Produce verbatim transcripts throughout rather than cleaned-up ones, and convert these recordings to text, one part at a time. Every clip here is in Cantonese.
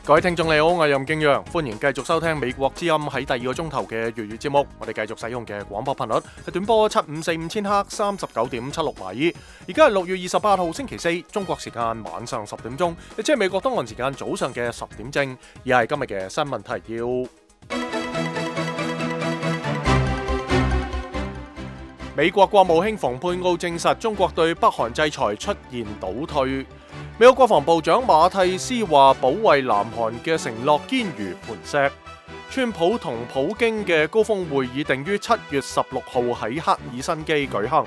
各位聽眾你好，我係任敬陽，歡迎繼續收聽美國之音喺第二個鐘頭嘅粵語節目。我哋繼續使用嘅廣播頻率係短波七五四五千赫三十九點七六米。而家係六月二十八號星期四，中國時間晚上十點鐘，亦即係美國東岸時間早上嘅十點正。而係今日嘅新聞提要。美國國務卿蓬佩奧證實，中國對北韓制裁出現倒退。美國國防部長馬蒂斯話，保衛南韓嘅承諾堅如磐石。川普同普京嘅高峰會議定於七月十六號喺赫爾辛基舉行。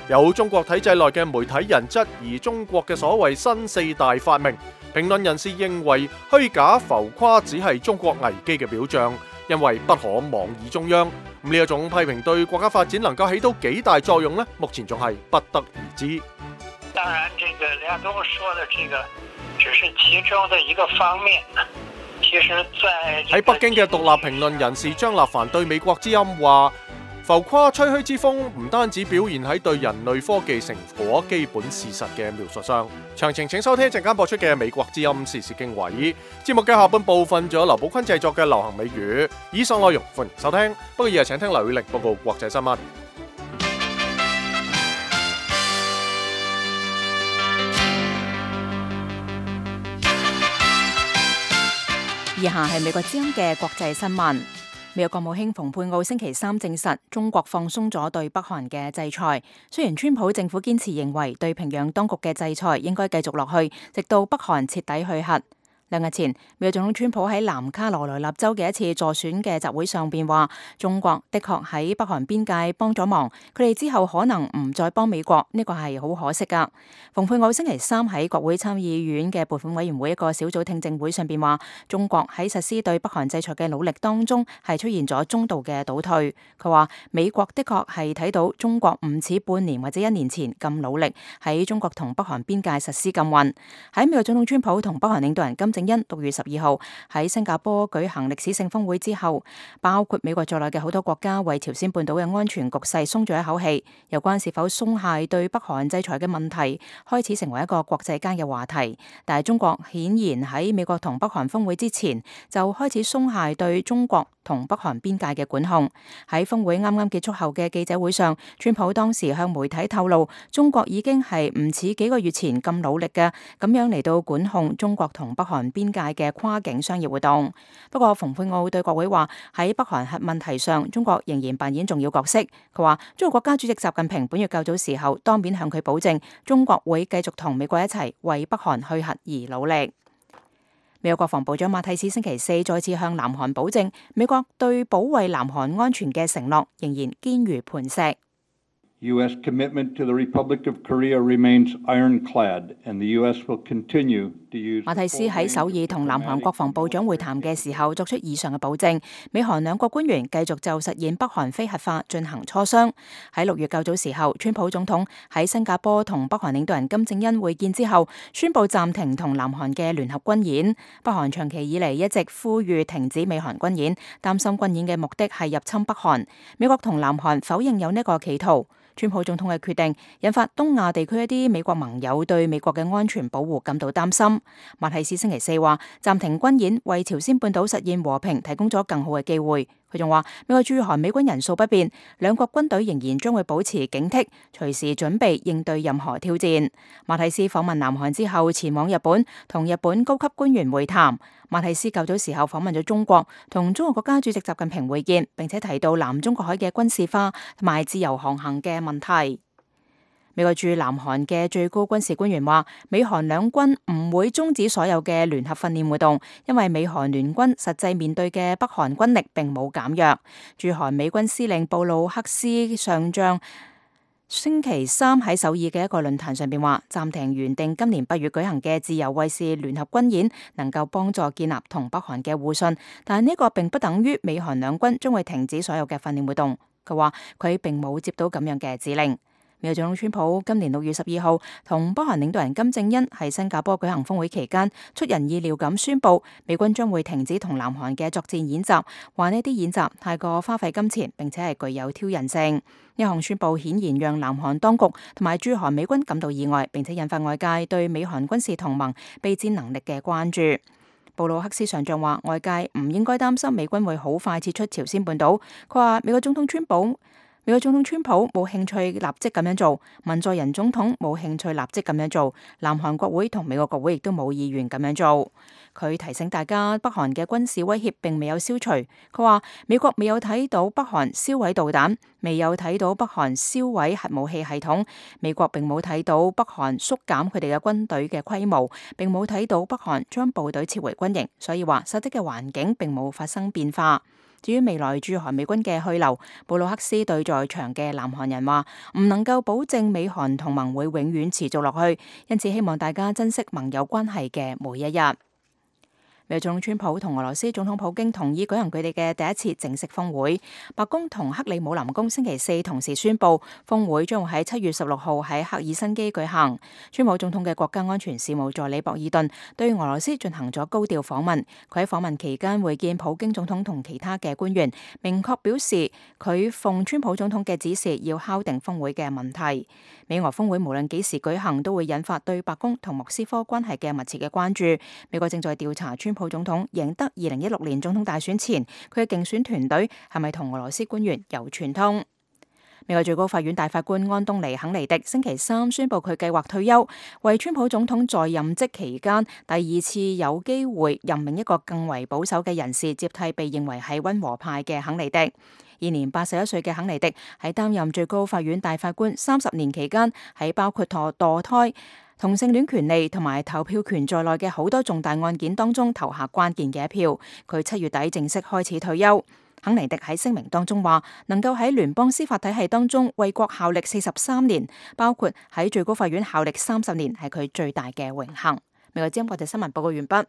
有中國體制內嘅媒體人質疑中國嘅所謂新四大發明，評論人士認為虛假浮誇只係中國危機嘅表象，因為不可妄議中央。咁呢一種批評對國家發展能夠起到幾大作用呢？目前仲係不得而知。當然，這個梁冬說的這個只是其中的一個方面。其實在喺北京嘅獨立評論人士張立凡對美國之音話，浮誇吹噓之風唔單止表現喺對人類科技成果基本事實嘅描述上。詳情請收聽一陣間播出嘅美國之音時事經緯。節目嘅下半部分仲有劉寶坤製作嘅流行美語。以上內容歡迎收聽，不過而家請聽劉宇力報告國際新聞。以下係美國之音嘅國際新聞。美國國務卿蓬佩奧星期三證實，中國放鬆咗對北韓嘅制裁。雖然川普政府堅持認為對平壤當局嘅制裁應該繼續落去，直到北韓徹底去核。兩日前，美國總統川普喺南卡羅來納州嘅一次助選嘅集會上邊話，中國的確喺北韓邊界幫咗忙，佢哋之後可能唔再幫美國，呢個係好可惜噶。蓬佩奧星期三喺國會參議院嘅撥款委員會一個小組聽證會上邊話，中國喺實施對北韓制裁嘅努力當中係出現咗中度嘅倒退。佢話美國的確係睇到中國唔似半年或者一年前咁努力喺中國同北韓邊界實施禁運。喺美國總統川普同北韓領導人金正因六月十二號喺新加坡舉行歷史性峰會之後，包括美國在內嘅好多國家為朝鮮半島嘅安全局勢鬆咗一口氣。有關是否鬆懈對北韓制裁嘅問題，開始成為一個國際間嘅話題。但係中國顯然喺美國同北韓峰會之前就開始鬆懈對中國同北韓邊界嘅管控。喺峰會啱啱結束後嘅記者會上，川普當時向媒體透露，中國已經係唔似幾個月前咁努力嘅，咁樣嚟到管控中國同北韓邊界嘅跨境商業活動。不過蓬佩奧對國會話，喺北韓核問題上，中國仍然扮演重要角色。佢話中國國家主席習近平本月較早時候當面向佢保證，中國會繼續同美國一齊為北韓去核而努力。美國國防部長馬蒂斯星期四再次向南韓保證，美國對保衛南韓安全嘅承諾仍然堅如磐石。U S commitment to the Republic of Korea remains ironclad, and the U S will continue to use. 馬蒂斯喺首爾同南韓國防部長會談嘅時候作出以上嘅保證，美韓兩國官員繼續就實現北韓非核化進行磋商。喺六月較早時候，川普總統喺新加坡同北韓領導人金正恩會見之後，宣布暫停同南韓嘅聯合軍演。北韓長期以嚟一直呼籲停止美韓軍演，擔心軍演嘅目的係入侵北韓。美國同南韓否認有呢個企圖。川普總統嘅決定引發東亞地區一啲美國盟友對美國嘅安全保護感到擔心。馬蒂斯星期四話，暫停軍演為朝鮮半島實現和平提供咗更好嘅機會。佢仲話，美國駐韓美軍人數不變，兩國軍隊仍然將會保持警惕，隨時準備應對任何挑戰。馬蒂斯訪問南韓之後，前往日本同日本高級官員會談。馬蒂斯較早時候訪問咗中國，同中國國家主席習近平會見，並且提到南中國海嘅軍事化同埋自由航行嘅問題。美國駐南韓嘅最高軍事官員話，美韓兩軍唔會終止所有嘅聯合訓練活動，因為美韓聯軍實際面對嘅北韓軍力並冇減弱。駐韓美軍司令布魯克斯上將星期三喺首爾嘅一個論壇上邊話，暫停原定今年八月舉行嘅自由衛士聯合軍演，能夠幫助建立同北韓嘅互信，但係呢個並不等於美韓兩軍將會停止所有嘅訓練活動。佢話佢並冇接到咁樣嘅指令。美國總統川普今年六月十二號同北韓領導人金正恩喺新加坡舉行峰會期間，出人意料咁宣布美軍將會停止同南韓嘅作戰演習，話呢啲演習太過花費金錢，並且係具有挑釁性。呢項宣布顯然讓南韓當局同埋駐韓美軍感到意外，並且引發外界對美韓軍事同盟備戰能力嘅關注。布魯克斯上將話，外界唔應該擔心美軍會好快撤出朝鮮半島。佢話美國總統川普美國總統川普冇興趣立即咁樣做，文在寅總統冇興趣立即咁樣做，南韓國會同美國國會亦都冇意願咁樣做。佢提醒大家，北韓嘅軍事威脅並未有消除。佢話美國未有睇到北韓銷毀導彈，未有睇到北韓銷毀核武器系統，美國並冇睇到北韓縮減佢哋嘅軍隊嘅規模，並冇睇到北韓將部隊撤回軍營，所以話實際嘅環境並冇發生變化。至於未來駐韓美軍嘅去留，布魯克斯對在場嘅南韓人話，唔能夠保證美韓同盟會永遠持續落去，因此希望大家珍惜盟友關係嘅每一日。美國總統川普同俄羅斯總統普京同意舉行佢哋嘅第一次正式峰會。白宮同克里姆林宮星期四同時宣布，峰會將會喺七月十六號喺赫爾辛基舉行。川普總統嘅國家安全事務助理博爾頓對俄羅斯進行咗高調訪問。佢喺訪問期間會見普京總統同其他嘅官員，明確表示佢奉川普總統嘅指示要敲定峰會嘅問題。美俄峰會無論幾時舉行，都會引發對白宮同莫斯科關係嘅密切嘅關注。美國正在調查川普總統贏得二零一六年總統大選前，佢嘅競選團隊係咪同俄羅斯官員有串通？美國最高法院大法官安東尼肯尼迪星期三宣布佢計劃退休，為川普總統在任職期間第二次有機會任命一個更為保守嘅人士接替被認為係溫和派嘅肯尼迪。現年八十一歲嘅肯尼迪喺擔任最高法院大法官三十年期間，喺包括墮墮胎、同性戀權利同埋投票權在內嘅好多重大案件當中投下關鍵嘅一票。佢七月底正式開始退休。肯尼迪喺聲明當中話，能夠喺聯邦司法體系當中為國效力四十三年，包括喺最高法院效力三十年，係佢最大嘅榮幸。美國之音國際新聞報告完畢。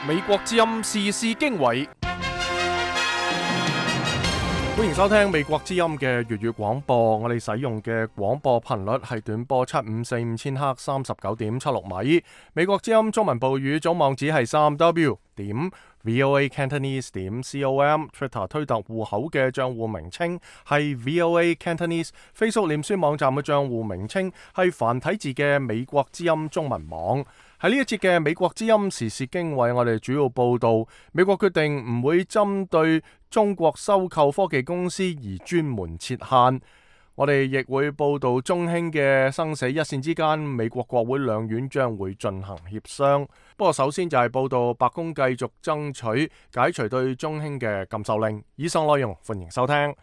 美國之音時事經緯，歡迎收聽美國之音嘅粵語廣播。我哋使用嘅廣播頻率係短波七五四五千赫三十九點七六米。美國之音中文部語總網址係三 w 點 voa cantonese 點 com。Twitter 推特戶口嘅賬戶名稱係 voa cantonese。Facebook 臉書網站嘅賬戶名稱係繁體字嘅美國之音中文網。喺呢一節嘅美國之音時事經緯，我哋主要報道美國決定唔會針對中國收購科技公司而專門設限。我哋亦會報道中興嘅生死一線之間，美國國會兩院將會進行協商。不過首先就係報道白宮繼續爭取解除對中興嘅禁售令。以上內容歡迎收聽。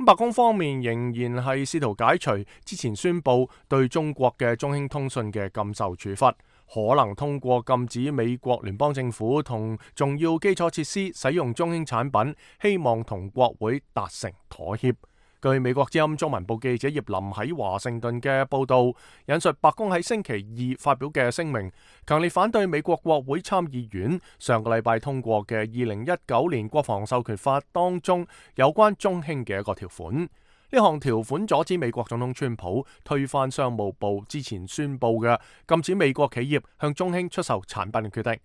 白宮方面仍然係試圖解除之前宣布對中國嘅中興通訊嘅禁售處罰，可能通過禁止美國聯邦政府同重要基礎設施使用中興產品，希望同國會達成妥協。據美國之音中文部記者葉林喺華盛頓嘅報道，引述白宮喺星期二發表嘅聲明，強烈反對美國國會參議院上個禮拜通過嘅二零一九年國防授權法當中有關中興嘅一個條款。呢項條款阻止美國總統川普推翻商務部之前宣布嘅禁止美國企業向中興出售產品嘅決定。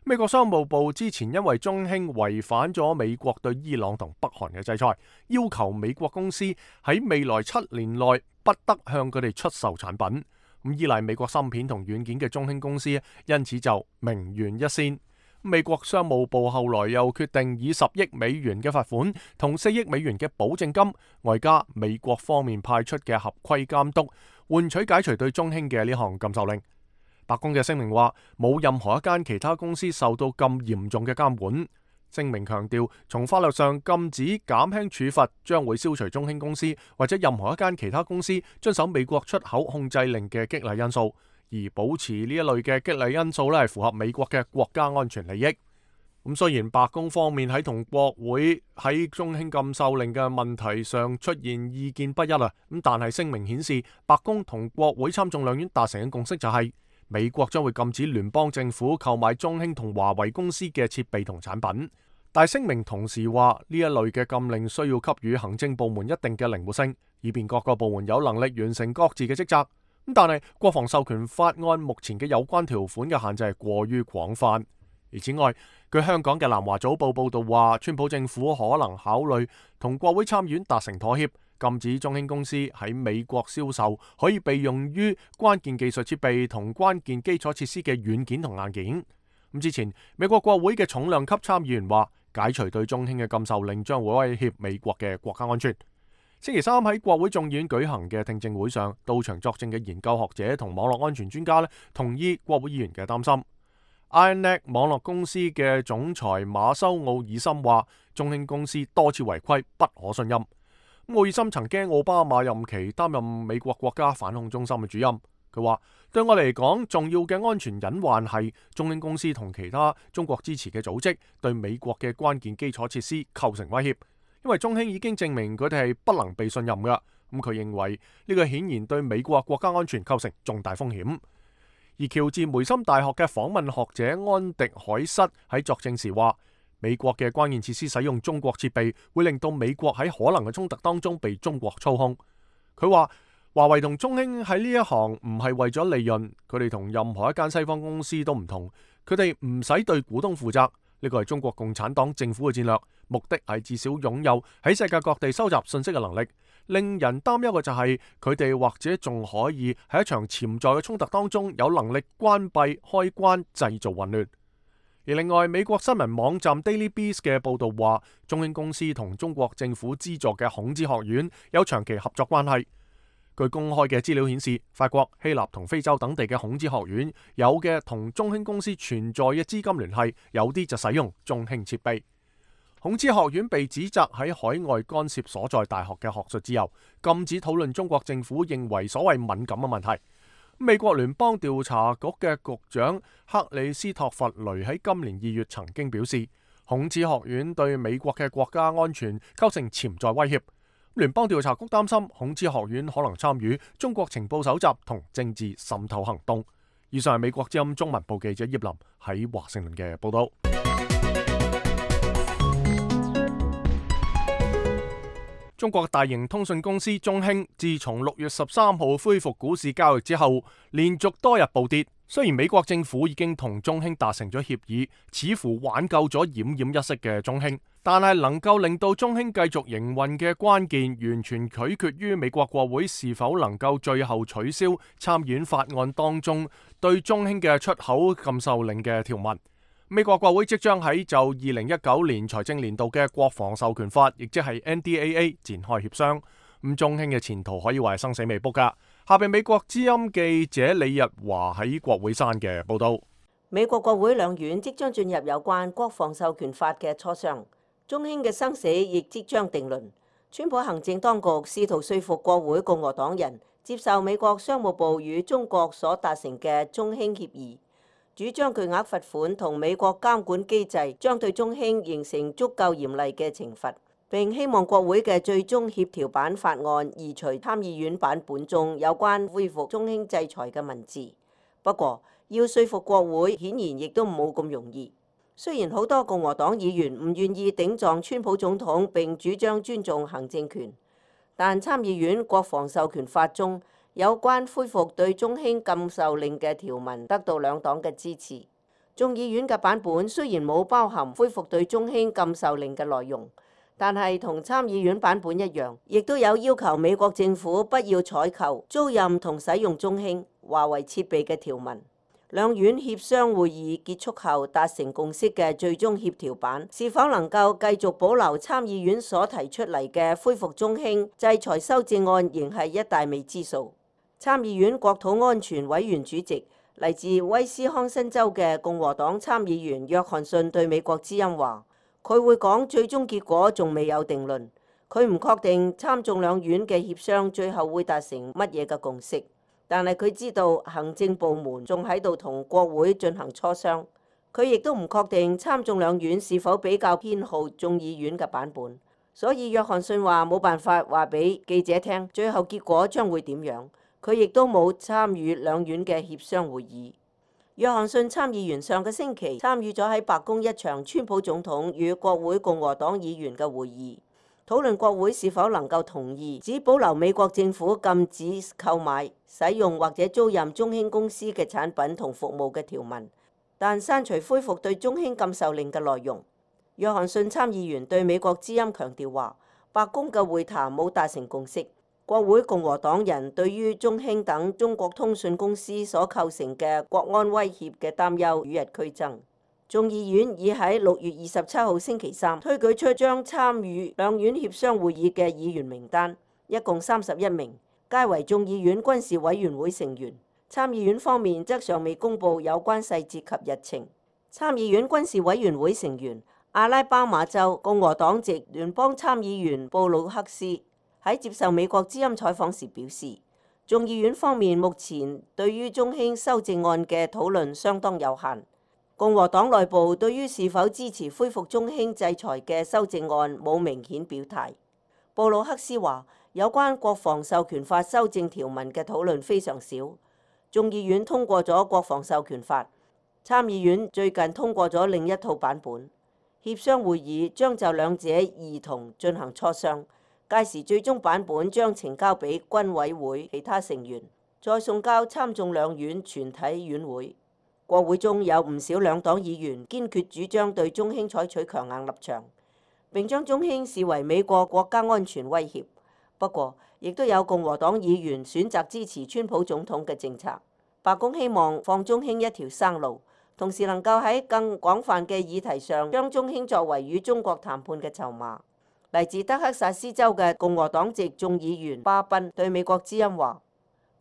美國商務部之前因為中興違反咗美國對伊朗同北韓嘅制裁，要求美國公司喺未來七年內不得向佢哋出售產品。咁依賴美國芯片同軟件嘅中興公司因此就名懸一線。美國商務部後來又決定以十億美元嘅罰款同四億美元嘅保證金，外加美國方面派出嘅合規監督，換取解除對中興嘅呢項禁售令。白宮嘅聲明話，冇任何一間其他公司受到咁嚴重嘅監管。聲明強調，從法律上禁止減輕處罰將會消除中興公司或者任何一間其他公司遵守美國出口控制令嘅激勵因素，而保持呢一類嘅激勵因素咧係符合美國嘅國家安全利益。咁雖然白宮方面喺同國會喺中興禁售令嘅問題上出現意見不一啊，咁但係聲明顯示，白宮同國會參眾兩院達成嘅共識就係、是。美國將會禁止聯邦政府購買中興同華為公司嘅設備同產品，但聲明同時話呢一類嘅禁令需要給予行政部門一定嘅靈活性，以便各個部門有能力完成各自嘅職責。咁但係國防授權法案目前嘅有關條款嘅限制係過於廣泛。而此外，據香港嘅南華早報報道話，川普政府可能考慮同國會參院達成妥協，禁止中興公司喺美國銷售可以被用於關鍵技術設備同關鍵基礎設施嘅軟件同硬件。咁之前，美國國會嘅重量級參議員話，解除對中興嘅禁售令將會威脅美國嘅國家安全。星期三喺國會眾議院舉行嘅聽證會上，到場作證嘅研究學者同網絡安全專家咧，同意國會議員嘅擔心。IronNet 網絡公司嘅總裁馬修奧爾森話，中興公司多次違規，不可信任。奧爾森曾經奧巴馬任期擔任美國國家反恐中心嘅主任。佢話：對我嚟講，重要嘅安全隱患係中興公司同其他中國支持嘅組織對美國嘅關鍵基礎設施構成威脅。因為中興已經證明佢哋係不能被信任㗎，咁佢認為呢個顯然對美國國家安全構成重大風險。而喬治梅森大學嘅訪問學者安迪海瑟喺作證時話，美國嘅關鍵設施使用中國設備，會令到美國喺可能嘅衝突當中被中國操控。佢話華為同中興喺呢一行唔係為咗利潤，佢哋同任何一間西方公司都唔同，佢哋唔使對股東負責。呢個係中國共產黨政府嘅戰略，目的係至少擁有喺世界各地收集信息嘅能力。令人擔憂嘅就係佢哋或者仲可以喺一場潛在嘅衝突當中有能力關閉開關，製造混亂。而另外，美國新聞網站 Daily Beast 嘅報導話，中興公司同中國政府資助嘅孔子學院有長期合作關係。據公開嘅資料顯示，法國、希臘同非洲等地嘅孔子學院有嘅同中興公司存在嘅資金聯繫，有啲就使用中興設備。孔子學院被指責喺海外干涉所在大學嘅學術自由，禁止討論中國政府認為所謂敏感嘅問題。美國聯邦調查局嘅局長克里斯托弗雷喺今年二月曾經表示，孔子學院對美國嘅國家安全構成潛在威脅。聯邦調查局擔心孔子學院可能參與中國情報搜集同政治滲透行動。以上係美國之音中文部記者葉林喺華盛頓嘅報道。中國大型通訊公司中興自從六月十三號恢復股市交易之後，連續多日暴跌。雖然美國政府已經同中興達成咗協議，似乎挽救咗奄奄一息嘅中興，但係能夠令到中興繼續營運嘅關鍵，完全取決於美國國會是否能夠最後取消參議院法案當中對中興嘅出口禁售令嘅條文。美國國會即將喺就二零一九年財政年度嘅國防授權法，亦即係 N D A A 展開協商。咁中興嘅前途可以話係生死未卜噶。下邊美國之音記者李日華喺國會山嘅報道。美國國會兩院即將進入有關國防授權法嘅磋商，中興嘅生死亦即將定論。川普行政當局試圖說服國會共和黨人接受美國商務部與中國所達成嘅中興協議，主張巨額罰款同美國監管機制將對中興形成足夠嚴厲嘅懲罰。並希望國會嘅最終協調版法案移除參議院版本中有關恢復中興制裁嘅文字。不過，要說服國會顯然亦都冇咁容易。雖然好多共和黨議員唔願意頂撞川普總統並主張尊重行政權，但參議院國防授權法中有關恢復對中興禁售令嘅條文得到兩黨嘅支持。眾議院嘅版本雖然冇包含恢復對中興禁售令嘅內容，但係同參議院版本一樣，亦都有要求美國政府不要採購、租賃同使用中興、華為設備嘅條文。兩院協商會議結束後達成共識嘅最終協調版，是否能夠繼續保留參議院所提出嚟嘅恢復中興制裁修正案，仍係一大未知數。參議院國土安全委員主席嚟自威斯康辛州嘅共和黨參議員約翰遜對美國之音話，佢會講最終結果仲未有定論，佢唔確定參眾兩院嘅協商最後會達成乜嘢嘅共識，但係佢知道行政部門仲喺度同國會進行磋商，佢亦都唔確定參眾兩院是否比較偏好眾議院嘅版本，所以約翰遜話冇辦法話俾記者聽最後結果將會點樣，佢亦都冇參與兩院嘅協商會議。約翰遜參議員上個星期參與咗喺白宮一場川普總統與國會共和黨議員嘅會議，討論國會是否能夠同意只保留美國政府禁止購買、使用或者租賃中興公司嘅產品同服務嘅條文，但刪除恢復對中興禁售令嘅內容。約翰遜參議員對美國之音強調話，白宮嘅會談冇達成共識。國會共和黨人對於中興等中國通訊公司所構成嘅國安威脅嘅擔憂與日俱增。眾議院已喺六月二十七號星期三推舉出將參與兩院協商會議嘅議員名單，一共三十一名，皆為眾議院軍事委員會成員。參議院方面則尚未公布有關細節及日程。參議院軍事委員會成員阿拉巴馬州共和黨籍聯邦參議員布魯克斯喺接受美國之音採訪時表示，眾議院方面目前對於中興修正案嘅討論相當有限。共和黨內部對於是否支持恢復中興制裁嘅修正案冇明顯表態。布魯克斯話，有關國防授權法修正條文嘅討論非常少。眾議院通過咗國防授權法，參議院最近通過咗另一套版本。協商會議將就兩者兒童進行磋商，屆時最終版本將呈交俾軍委會其他成員，再送交參眾兩院全體院會。國會中有唔少兩黨議員堅決主張對中興採取強硬立場，並將中興視為美國國家安全威脅。不過，亦都有共和黨議員選擇支持川普總統嘅政策。白宮希望放中興一條生路，同時能夠喺更廣泛嘅議題上將中興作為與中國談判嘅籌碼。嚟自德克薩斯州嘅共和黨籍眾議員巴賓對美國之音話，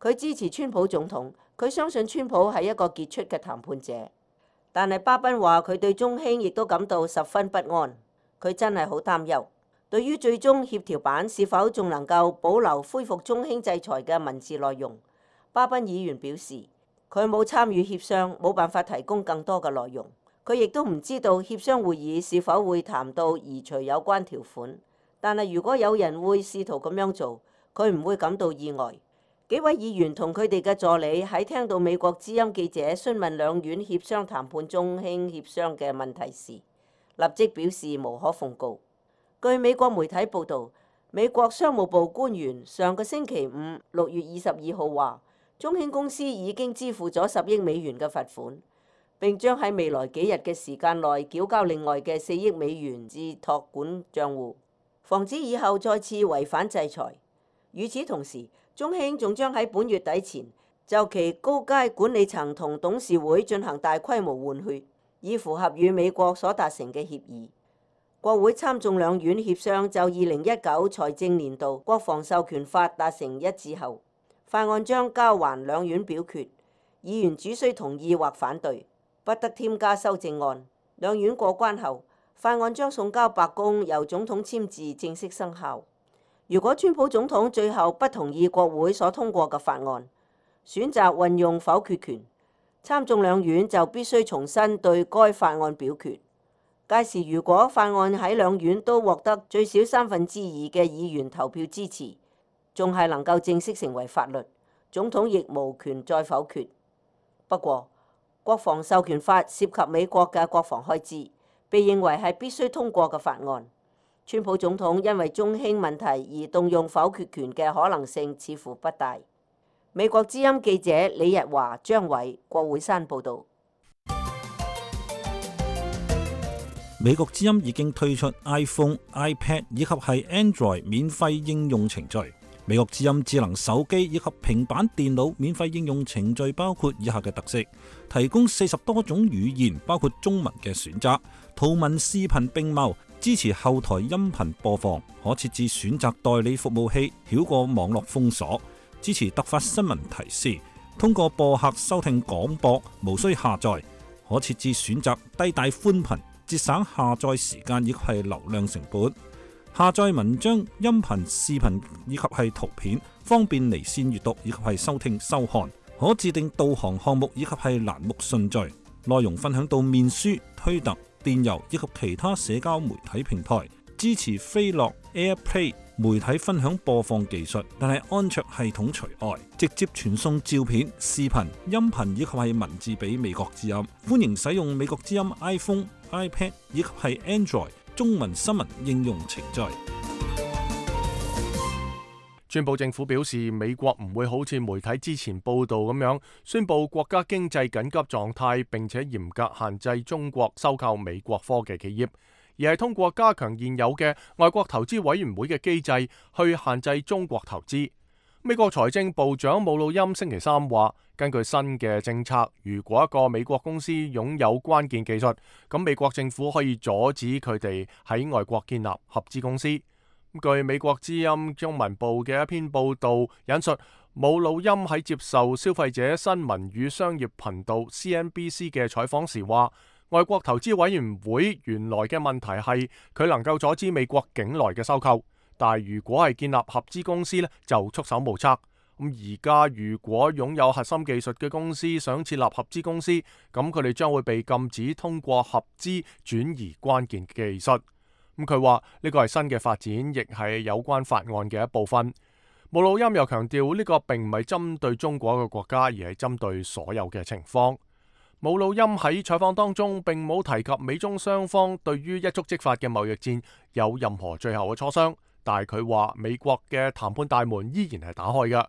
佢支持川普總統。佢相信川普係一個傑出嘅談判者，但係巴賓話佢對中興亦都感到十分不安。佢真係好擔憂，對於最終協調版是否仲能夠保留恢復中興制裁嘅文字內容，巴賓議員表示佢冇參與協商，冇辦法提供更多嘅內容。佢亦都唔知道協商會議是否會談到移除有關條款，但係如果有人會試圖咁樣做，佢唔會感到意外。幾位議員同佢哋嘅助理喺聽到美國之音記者詢問兩院協商談判中興協商嘅問題時，立即表示無可奉告。據美國媒體報導，美國商務部官員上個星期五六月二十二號話，中興公司已經支付咗十億美元嘅罰款，並將喺未來幾日嘅時間內繳交另外嘅四億美元至託管帳戶，防止以後再次違反制裁。與此同時，中興仲將喺本月底前就其高階管理層同董事會進行大規模換血，以符合與美國所達成嘅協議。國會參眾兩院協商就二零一九財政年度國防授權法達成一致後，法案將交還兩院表決，議員只需同意或反對，不得添加修正案。兩院過關後，法案將送交白宮，由總統簽字正式生效。如果川普總統最後不同意國會所通過嘅法案，選擇運用否決權，參眾兩院就必須重新對該法案表決。屆時如果法案喺兩院都獲得最少三分之二嘅議員投票支持，仲係能夠正式成為法律，總統亦無權再否決。不過，國防授權法涉及美國嘅國防開支，被認為係必須通過嘅法案。川普總統因為中興問題而動用否決權嘅可能性似乎不大。美國之音記者李日華、張偉、郭會山報導。美國之音已經推出 iPhone、iPad 以及係 Android 免費應用程序。美國之音智能手機以及平板電腦免費應用程序包括以下嘅特色：提供四十多種語言，包括中文嘅選擇，圖文視頻並茂。支持後台音頻播放，可設置選擇代理服務器，繞過網絡封鎖。支持突發新聞提示，通過播客收聽廣播，無需下載。可設置選擇低帶寬頻，節省下載時間以及係流量成本。下載文章、音頻、視頻以及係圖片，方便離線閱讀以及係收聽收看。可自定導航項目以及係欄目順序。內容分享到面書、推特、電郵以及其他社交媒體平台，支持飛樂 AirPlay 媒體分享播放技術，但係安卓系統除外。直接傳送照片、視頻、音頻以及係文字俾美國之音。歡迎使用美國之音 iPhone、iPad 以及係 Android 中文新聞應用程序。川普政府表示，美國唔會好似媒體之前報道咁樣宣布國家經濟緊急狀態，並且嚴格限制中國收購美國科技企業。而係通過加強現有嘅外國投資委員會嘅機制去限制中國投資。美國財政部長姆魯欽星期三話，根據新嘅政策，如果一個美國公司擁有關鍵技術，咁美國政府可以阻止佢哋喺外國建立合資公司。據美國之音中文部嘅一篇報道引述，姆魯欽喺接受消費者新聞與商業頻道 C N B C 嘅採訪時話，外國投資委員會原來嘅問題係佢能夠阻止美國境內嘅收購。但係如果係建立合資公司呢，就束手無策。咁而家如果擁有核心技術嘅公司想設立合資公司，咁佢哋將會被禁止通過合資轉移關鍵技術。咁佢話呢個係新嘅發展，亦係有關法案嘅一部分。姆魯欽又強調呢個並唔係針對中國一個國家，而係針對所有嘅情況。姆魯欽喺採訪當中並冇提及美中雙方對於一觸即發嘅貿易戰有任何最後嘅磋商。但係佢話美國嘅談判大門依然係打開嘅。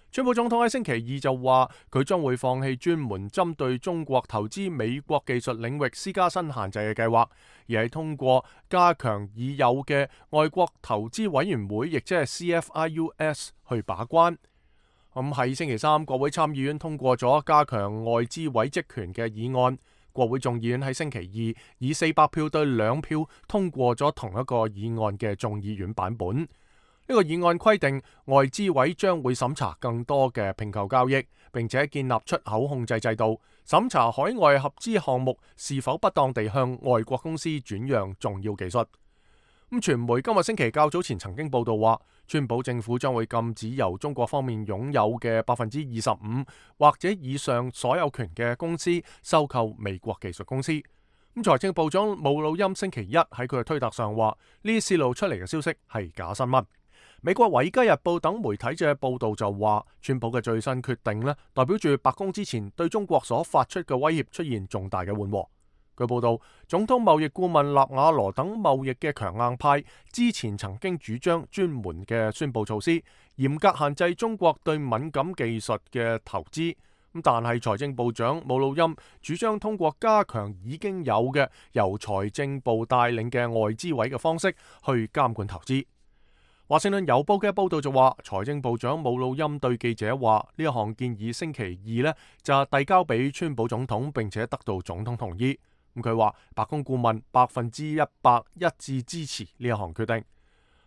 川普總統喺星期二就話佢將會放棄專門針對中國投資美國技術領域施加新限制嘅計劃，而係通過加強已有嘅外國投資委員會，亦即係 C F I U S 去把關。咁喺星期三，國會參議院通過咗加強外資委職權嘅議案。國會眾議院喺星期二以四百票對兩票通過咗同一個議案嘅眾議院版本。呢個議案規定外資委將會審查更多嘅併購交易，並且建立出口控制制度，審查海外合資項目是否不當地向外國公司轉讓重要技術。咁傳媒今日星期較早前曾經報道話，川普政府將會禁止由中國方面擁有嘅百分之二十五或者以上所有權嘅公司收購美國技術公司。咁財政部長姆魯欽星期一喺佢嘅推特上話，呢啲泄露出嚟嘅消息係假新聞。美國《維基日報》等媒體嘅報道就話，川普嘅最新決定呢，代表住白宮之前對中國所發出嘅威脅出現重大嘅緩和。據報道，總統貿易顧問納瓦羅等貿易嘅強硬派之前曾經主張專門嘅宣佈措施，嚴格限制中國對敏感技術嘅投資。咁但係財政部長姆魯欽主張通過加強已經有嘅由財政部帶領嘅外資委嘅方式去監管投資。華盛頓郵報嘅報道就話，財政部長姆魯欽對記者話，呢一項建議星期二呢就遞交俾川普總統，並且得到總統同意。咁佢話白宮顧問百分之一百一致支持呢一項決定。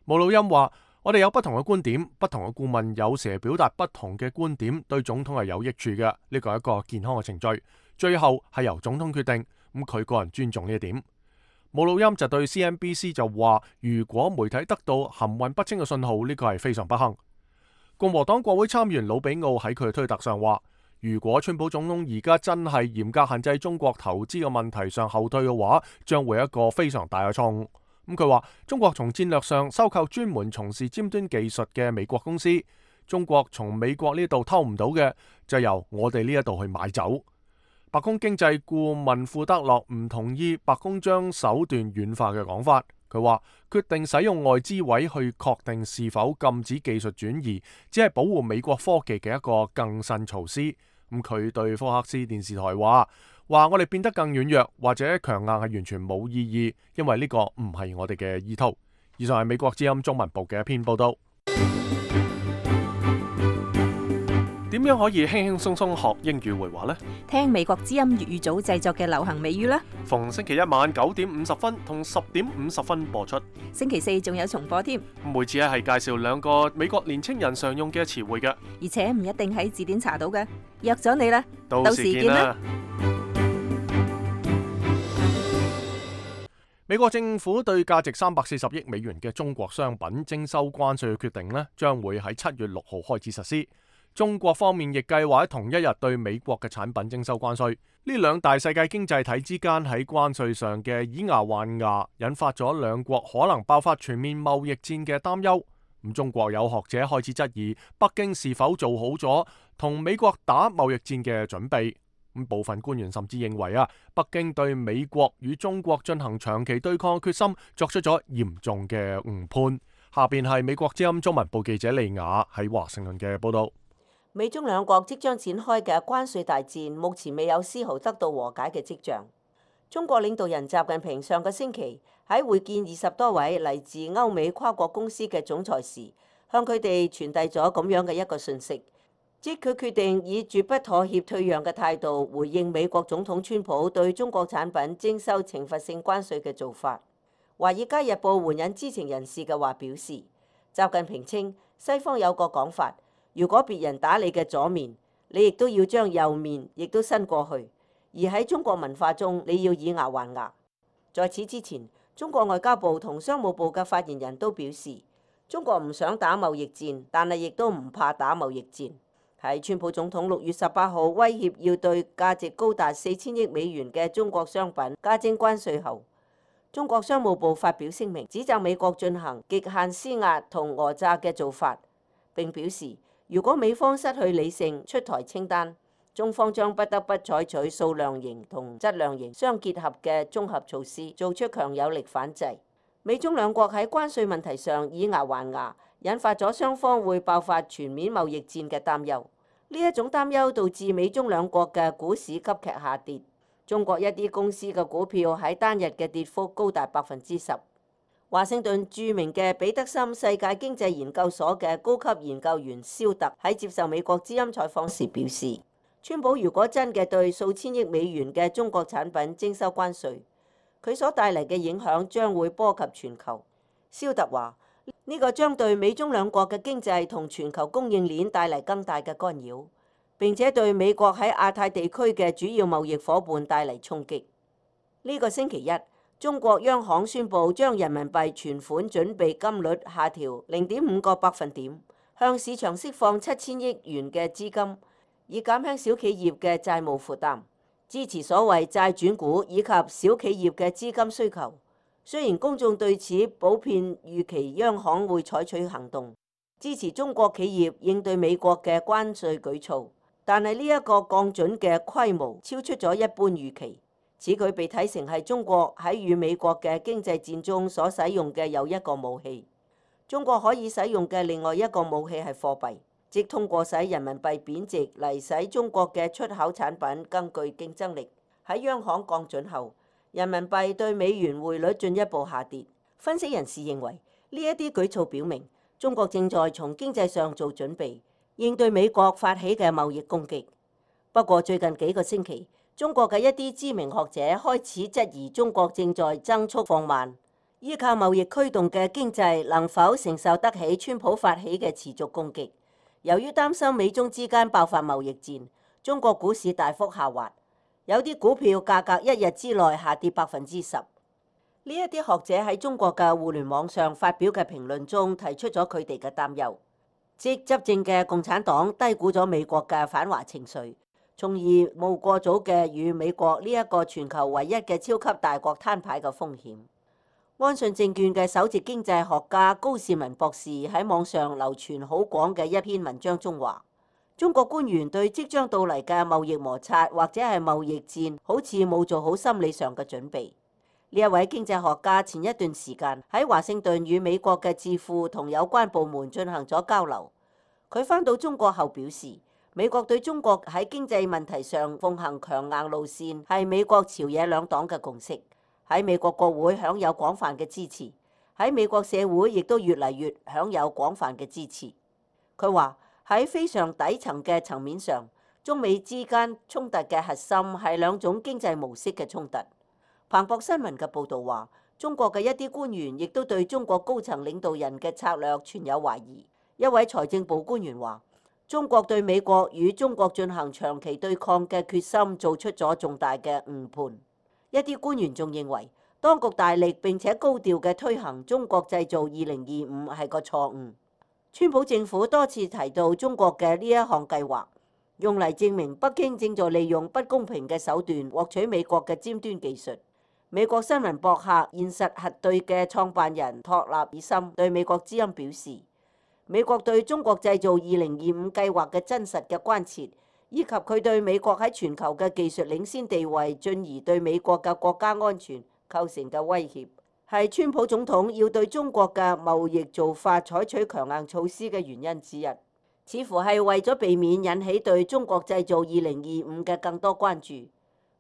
姆魯欽話：我哋有不同嘅觀點，不同嘅顧問有時表達不同嘅觀點，對總統係有益處嘅。呢個係一個健康嘅程序，最後係由總統決定。咁佢個人尊重呢一點。姆魯欽就對 C N B C 就話：如果媒體得到含混不清嘅信號，呢個係非常不幸。共和黨國會參議員魯比奧喺佢嘅推特上話：如果川普總統而家真係嚴格限制中國投資嘅問題上後退嘅話，將會一個非常大嘅錯誤。咁佢話中國從戰略上收購專門從事尖端技術嘅美國公司，中國從美國呢度偷唔到嘅，就由我哋呢一度去買走。白宮經濟顧問庫德洛唔同意白宮將手段軟化嘅講法。佢話決定使用外資委去確定是否禁止技術轉移，只係保護美國科技嘅一個更新措施。咁佢對福克斯電視台話：話我哋變得更軟弱或者強硬係完全冇意義，因為呢個唔係我哋嘅意圖。以上係美國之音中文部嘅一篇報道。點樣可以輕輕鬆鬆學英語會話呢？聽美國之音粵語組製作嘅流行美語啦。逢星期一晚九點五十分同十點五十分播出。星期四仲有重播添。每次咧係介紹兩個美國年青人常用嘅詞彙嘅，而且唔一定喺字典查到嘅。約咗你啦，到時見啦。美國政府對價值三百四十億美元嘅中國商品徵收關稅嘅決定呢，將會喺七月六號開始實施。中國方面亦計劃喺同一日對美國嘅產品徵收關稅。呢兩大世界經濟體之間喺關稅上嘅以牙還牙，引發咗兩國可能爆發全面貿易戰嘅擔憂。咁中國有學者開始質疑北京是否做好咗同美國打貿易戰嘅準備。咁部分官員甚至認為啊，北京對美國與中國進行長期對抗嘅決心作出咗嚴重嘅誤判。下邊係美國之音中文部記者利雅喺華盛頓嘅報道。美中兩國即將展開嘅關稅大戰，目前未有絲毫得到和解嘅跡象。中國領導人習近平上個星期喺會見二十多位嚟自歐美跨國公司嘅總裁時，向佢哋傳遞咗咁樣嘅一個訊息，即佢決定以絕不妥協退讓嘅態度回應美國總統川普對中國產品徵收懲罰性關稅嘅做法。《華爾街日報》援引知情人士嘅話表示，習近平稱西方有個講法，如果別人打你嘅左面，你亦都要將右面亦都伸過去，而喺中國文化中，你要以牙還牙。在此之前，中國外交部同商務部嘅發言人都表示，中國唔想打貿易戰，但係亦都唔怕打貿易戰。喺川普總統六月十八號威脅要對價值高達四千億美元嘅中國商品加徵關稅後，中國商務部發表聲明，指責美國進行極限施壓同訛詐嘅做法，並表示如果美方失去理性出台清單，中方將不得不採取數量型同質量型相結合嘅綜合措施，做出強有力反制。美中兩國喺關稅問題上以牙還牙，引發咗雙方會爆發全面貿易戰嘅擔憂。呢一種擔憂導致美中兩國嘅股市急劇下跌，中國一啲公司嘅股票喺單日嘅跌幅高達百分之十。華盛頓著名嘅彼得森世界經濟研究所嘅高級研究員肖特喺接受美國之音採訪時表示，川普如果真嘅對數千億美元嘅中國產品徵收關稅，佢所帶嚟嘅影響將會波及全球。肖特話：呢個將對美中兩國嘅經濟同全球供應鏈帶嚟更大嘅干擾，並且對美國喺亞太地區嘅主要貿易夥伴帶嚟衝擊。呢個星期一，中國央行宣布將人民幣存款準備金率下調零點五個百分點，向市場釋放七千億元嘅資金，以減輕小企業嘅債務負擔，支持所謂債轉股以及小企業嘅資金需求。雖然公眾對此普遍預期央行會採取行動，支持中國企業應對美國嘅關稅舉措，但係呢一個降準嘅規模超出咗一般預期。此舉被睇成係中國喺與美國嘅經濟戰中所使用嘅又一個武器。中國可以使用嘅另外一個武器係貨幣，即通過使人民幣貶值嚟使中國嘅出口產品更具競爭力。喺央行降準後，人民幣對美元匯率進一步下跌。分析人士認為，呢一啲舉措表明中國正在從經濟上做準備，應對美國發起嘅貿易攻擊。不過最近幾個星期，中國嘅一啲知名學者開始質疑中國正在增速放慢，依靠貿易驅動嘅經濟能否承受得起川普發起嘅持續攻擊。由於擔心美中之間爆發貿易戰，中國股市大幅下滑。有啲股票價格一日之內下跌百分之十。呢一啲學者喺中國嘅互聯網上發表嘅評論中提出咗佢哋嘅擔憂，即執政嘅共產黨低估咗美國嘅反華情緒，從而冇過早嘅與美國呢一個全球唯一嘅超級大國攤牌嘅風險。安信證券嘅首席經濟學家高士文博士喺網上流傳好廣嘅一篇文章中話，中國官員對即將到嚟嘅貿易摩擦或者係貿易戰，好似冇做好心理上嘅準備。呢一位經濟學家前一段時間喺華盛頓與美國嘅智庫同有關部門進行咗交流。佢返到中國後表示，美國對中國喺經濟問題上奉行強硬路線係美國朝野兩黨嘅共識，喺美國國會享有廣泛嘅支持，喺美國社會亦都越嚟越享有廣泛嘅支持。佢話，喺非常底層嘅層面上，中美之間衝突嘅核心係兩種經濟模式嘅衝突。彭博新聞嘅報導話，中國嘅一啲官員亦都對中國高層領導人嘅策略存有懷疑。一位財政部官員話，中國對美國與中國進行長期對抗嘅決心做出咗重大嘅誤判。一啲官員仲認為，當局大力並且高調嘅推行中國製造二零二五係個錯誤。川普政府多次提到中國嘅呢一項計劃，用嚟證明北京正在利用不公平嘅手段獲取美國嘅尖端技術。美國新聞博客現實核對嘅創辦人托納爾森對美國之音表示，美國對中國製造二零二五計劃嘅真實嘅關切，以及佢對美國喺全球嘅技術領先地位，進而對美國嘅國家安全構成嘅威脅，係川普總統要對中國嘅貿易做法採取強硬措施嘅原因之一，似乎係為咗避免引起對中國製造二零二五嘅更多關注。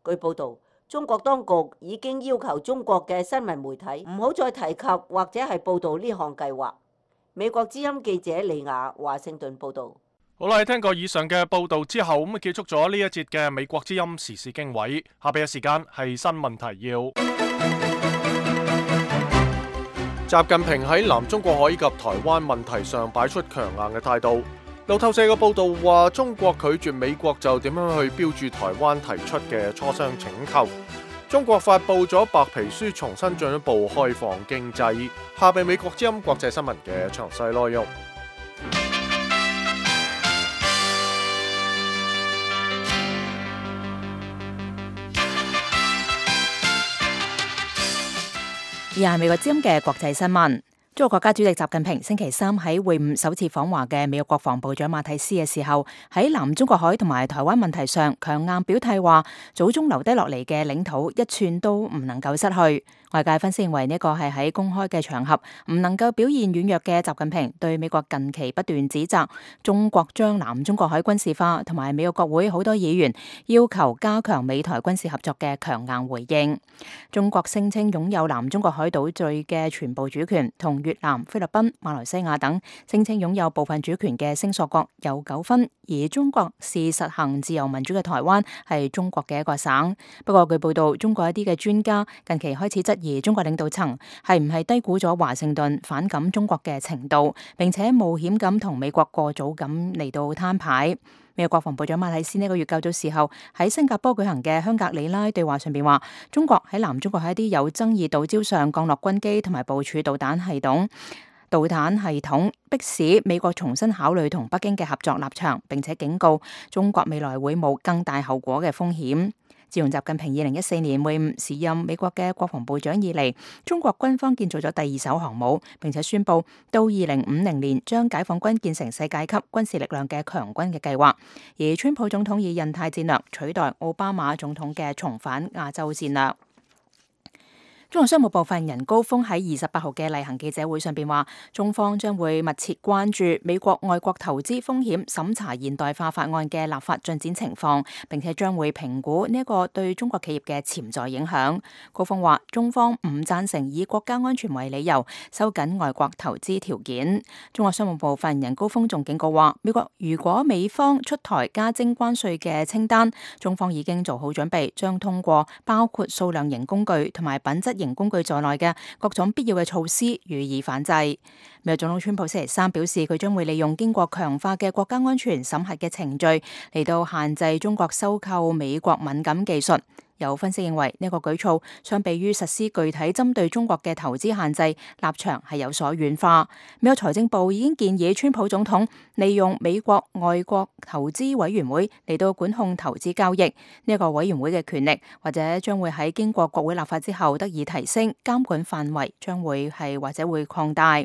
據報導，中國當局已經要求中國嘅新聞媒體唔好再提及或者係報導呢項計劃。美國之音記者李雅華盛頓報導。好啦，聽過以上嘅報導之後，咁結束咗呢一節嘅美國之音時事經緯。下邊嘅時間係新聞提要。習近平喺南中國海以及台灣問題上擺出強硬嘅態度。路透社嘅報導話，中國拒絕美國就點樣去標註台灣提出嘅磋商請求。中國發布咗白皮書，重新進一步開放經濟。下邊美國之音國際新聞嘅詳細內容。以下係美國之音嘅國際新聞。中國國家主席習近平星期三喺會晤首次訪華嘅美國國防部長馬蒂斯嘅時候，喺南中國海同埋台灣問題上強硬表態，話祖宗留低落嚟嘅領土一寸都唔能夠失去。外界分析認為呢個係喺公開嘅場合唔能夠表現軟弱嘅習近平對美國近期不斷指責中國將南中國海軍事化，同埋美國國會好多議員要求加強美台軍事合作嘅強硬回應。中國聲稱擁有南中國海島嶼嘅全部主權，同越南、菲律賓、馬來西亞等聲稱擁有部分主權嘅聲索國有糾紛，而中國是實行自由民主嘅台灣係中國嘅一個省。不過據報道，中國一啲嘅專家近期開始質疑中國領導層係唔係低估咗華盛頓反感中國嘅程度，並且冒險咁同美國過早咁嚟到攤牌。美國國防部長馬蒂斯呢個月較早時候喺新加坡舉行嘅香格里拉對話上邊話，中國喺南中國喺一啲有爭議島礁上降落軍機同埋部署導彈系統，導彈系統迫使美國重新考慮同北京嘅合作立場，並且警告中國未來會冒更大後果嘅風險。自從習近平二零一四年會晤時任美國嘅國防部長以嚟，中國軍方建造咗第二艘航母，並且宣布到二零五零年將解放軍建成世界級軍事力量嘅強軍嘅計劃。而川普總統以印太戰略取代奧巴馬總統嘅重返亞洲戰略。中國商務部發言人高峰喺二十八號嘅例行記者會上邊話，中方將會密切關注美國外國投資風險審查現代化法案嘅立法進展情況，並且將會評估呢一個對中國企業嘅潛在影響。高峰話，中方唔贊成以國家安全為理由收緊外國投資條件。中國商務部發言人高峰仲警告話，美國如果美方出台加徵關稅嘅清單，中方已經做好準備，將通過包括數量型工具同埋品質型工具在內嘅各種必要嘅措施予以反制。美國總統川普星期三表示，佢將會利用經過強化嘅國家安全審核嘅程序嚟到限制中國收購美國敏感技術。有分析認為呢個舉措相比於實施具體針對中國嘅投資限制，立場係有所軟化。美國財政部已經建議川普總統利用美國外國投資委員會嚟到管控投資交易。呢一個委員會嘅權力或者將會喺經過國會立法之後得以提升，監管範圍將會係或者會擴大。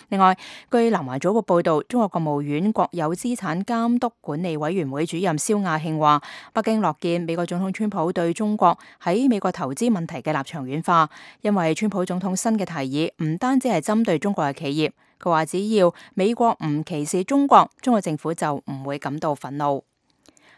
另外，據南華早報報道，中國國務院國有資產監督管理委員會主任蕭亞慶話，北京樂見美國總統川普對中國喺美國投資問題嘅立場軟化，因為川普總統新嘅提議唔單止係針對中國嘅企業，佢話只要美國唔歧視中國，中國政府就唔會感到憤怒。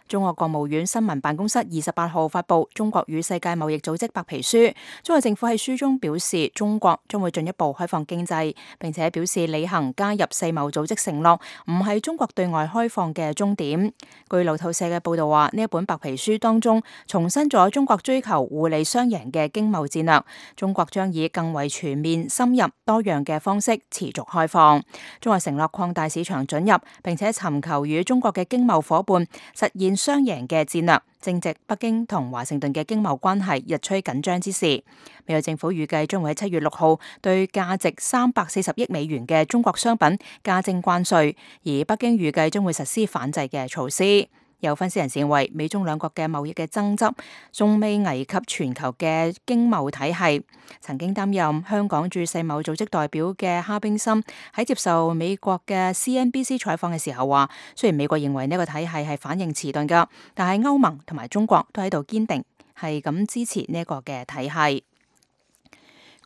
中國國務院新聞辦公室二十八號發布《中國與世界貿易組織白皮書》，中國政府喺書中表示，中國將會進一步開放經濟，並且表示履行加入世貿組織承諾，唔係中國對外開放嘅終點。據路透社嘅報道話，呢一本白皮書當中重申咗中國追求互利雙贏嘅經貿戰略，中國將以更為全面、深入、多樣嘅方式持續開放。中國承諾擴大市場准入，並且尋求與中國嘅經貿夥伴實現雙贏嘅戰略，正值北京同華盛頓嘅經貿關係日趨緊張之時。美國政府預計將會喺七月六號對價值三百四十億美元嘅中國商品加徵關稅，而北京預計將會實施反制嘅措施。有分析人士認為，美中兩國嘅貿易嘅爭執仲未危及全球嘅經貿體系。曾經擔任香港駐世貿組織代表嘅哈冰森喺接受美國嘅 C N B C 採訪嘅時候話，雖然美國認為呢個體系係反應遲鈍㗎，但係歐盟同埋中國都喺度堅定係咁支持呢個嘅體系。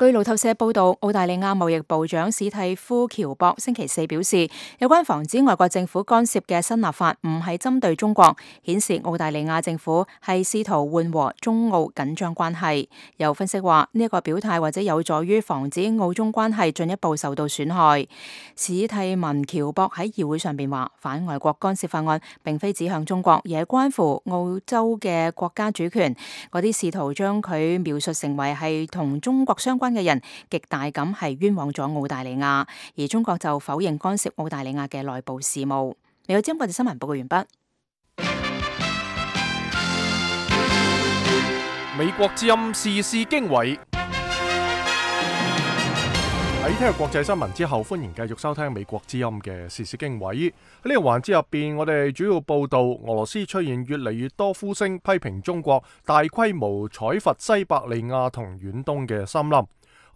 據路透社報道，澳大利亞貿易部長史蒂夫喬博星期四表示，有關防止外國政府干涉嘅新立法唔係針對中國，顯示澳大利亞政府係試圖緩和中澳緊張關係。有分析話，呢一個表態或者有助於防止澳中關係進一步受到損害。史蒂文喬博喺議會上邊話，反外國干涉法案並非指向中國，而係關乎澳洲嘅國家主權。嗰啲試圖將佢描述成為係同中國相關嘅人，極大咁係冤枉咗澳大利亞，而中國就否認干涉澳大利亞嘅內部事務。嚟到今日國際新聞報告完畢。美國之音時事經緯。喺聽日國際新聞之後，歡迎繼續收聽美國之音嘅時事經緯。喺呢個環節入邊，我哋主要報道俄羅斯出現越嚟越多呼聲批評中國大規模採伐西伯利亞同遠東嘅森林。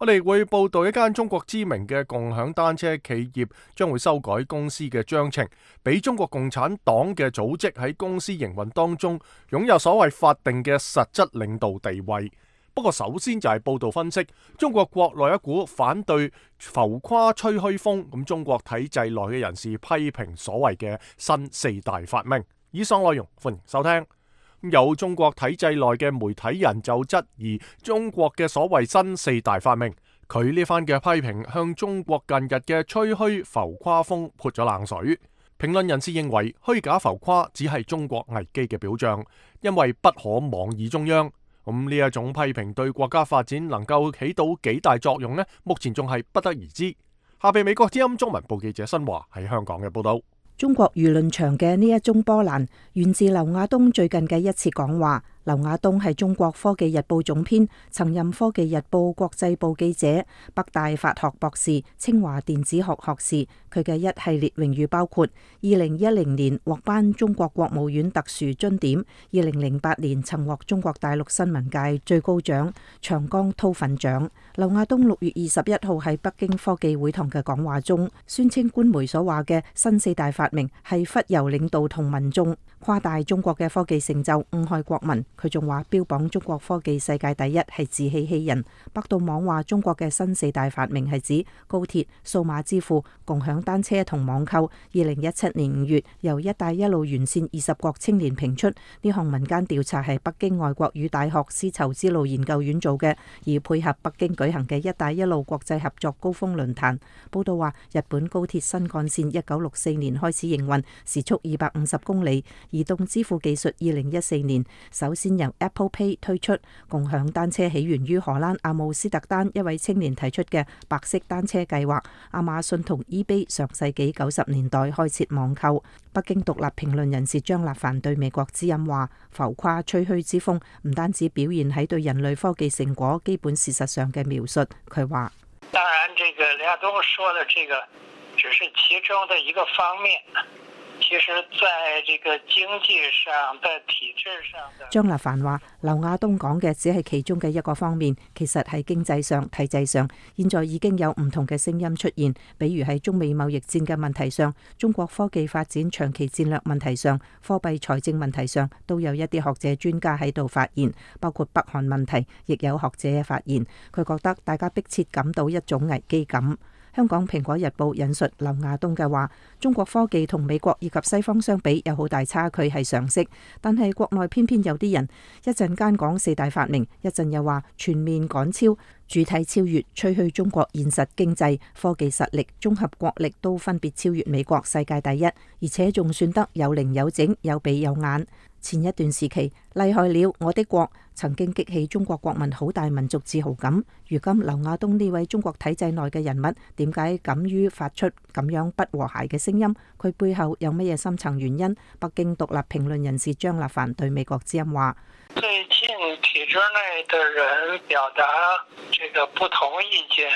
我哋會報道一間中國知名嘅共享單車企業將會修改公司嘅章程，俾中國共產黨嘅組織喺公司營運當中擁有所謂法定嘅實質領導地位。不過首先就係報道分析中國國內一股反對浮誇吹噓風，咁中國體制內嘅人士批評所謂嘅新四大發明。以上內容歡迎收聽。有中國體制內嘅媒體人就質疑中國嘅所謂新四大發明，佢呢番嘅批評向中國近日嘅吹噓浮誇風潑咗冷水。評論人士認為虛假浮誇只係中國危機嘅表象，因為不可妄議中央。咁呢一種批評對國家發展能夠起到幾大作用呢？目前仲係不得而知。下邊美國之音中文部記者新華喺香港嘅報道。中國輿論場嘅呢一宗波瀾源自劉亞東最近嘅一次講話。劉亞東係中國科技日報總編，曾任科技日報國際部記者，北大法學博士，清華電子學學士。佢嘅一系列榮譽包括：二零一零年獲頒中國國務院特殊欽點，二零零八年曾獲中國大陸新聞界最高獎長江韜奮獎。劉亞東六月二十一號喺北京科技會堂嘅講話中，宣稱官媒所話嘅新四大發明係忽悠領導同民眾，誇大中國嘅科技成就，誤害國民。佢仲話標榜中國科技世界第一係自欺欺人。百度網話中國嘅新四大發明係指高鐵、數碼支付、共享單車同網購。二零一七年五月由一帶一路沿線二十國青年評出，呢項民間調查係北京外國語大學絲綢之路研究院做嘅，而配合北京舉行嘅一帶一路國際合作高峰論壇。報道話日本高鐵新幹線一九六四年開始營運，時速二百五十公里。移動支付技術二零一四年首先由 Apple Pay 推出。共享單車起源於荷蘭阿姆斯特丹一位青年提出嘅白色單車計劃。亞馬遜同 eBay 上世紀九十年代開設網購。北京獨立評論人士張立凡對美國之音話：浮誇吹噓之風唔單止表現喺對人類科技成果基本事實上嘅描述。佢話：當然，這個劉亞東說的這個只是其中的一個方面。其實在這個經濟上的體制上的，張立凡話劉亞東講嘅只係其中嘅一個方面，其實喺經濟上、體制上，現在已經有唔同嘅聲音出現，比如喺中美貿易戰嘅問題上，中國科技發展長期戰略問題上，貨幣財政問題上，都有一啲學者專家喺度發言，包括北韓問題，亦有學者發言。佢覺得大家迫切感到一種危機感。香港蘋果日報引述劉亞東嘅話：中國科技同美國以及西方相比有好大差距係常識，但係國內偏偏有啲人一陣間講四大發明，一陣又話全面趕超、主體超越，吹噓中國現實經濟、科技實力、綜合國力都分別超越美國世界第一，而且仲算得有零有整、有鼻有眼。前一段時期，厲害了我的國曾經激起中國國民好大民族自豪感。如今劉亞東呢位中國體制內嘅人物，點解敢於發出咁樣不和諧嘅聲音？佢背後有乜嘢深層原因？北京獨立評論人士張立凡對美國之音話：最近體制內的人表達這個不同意見，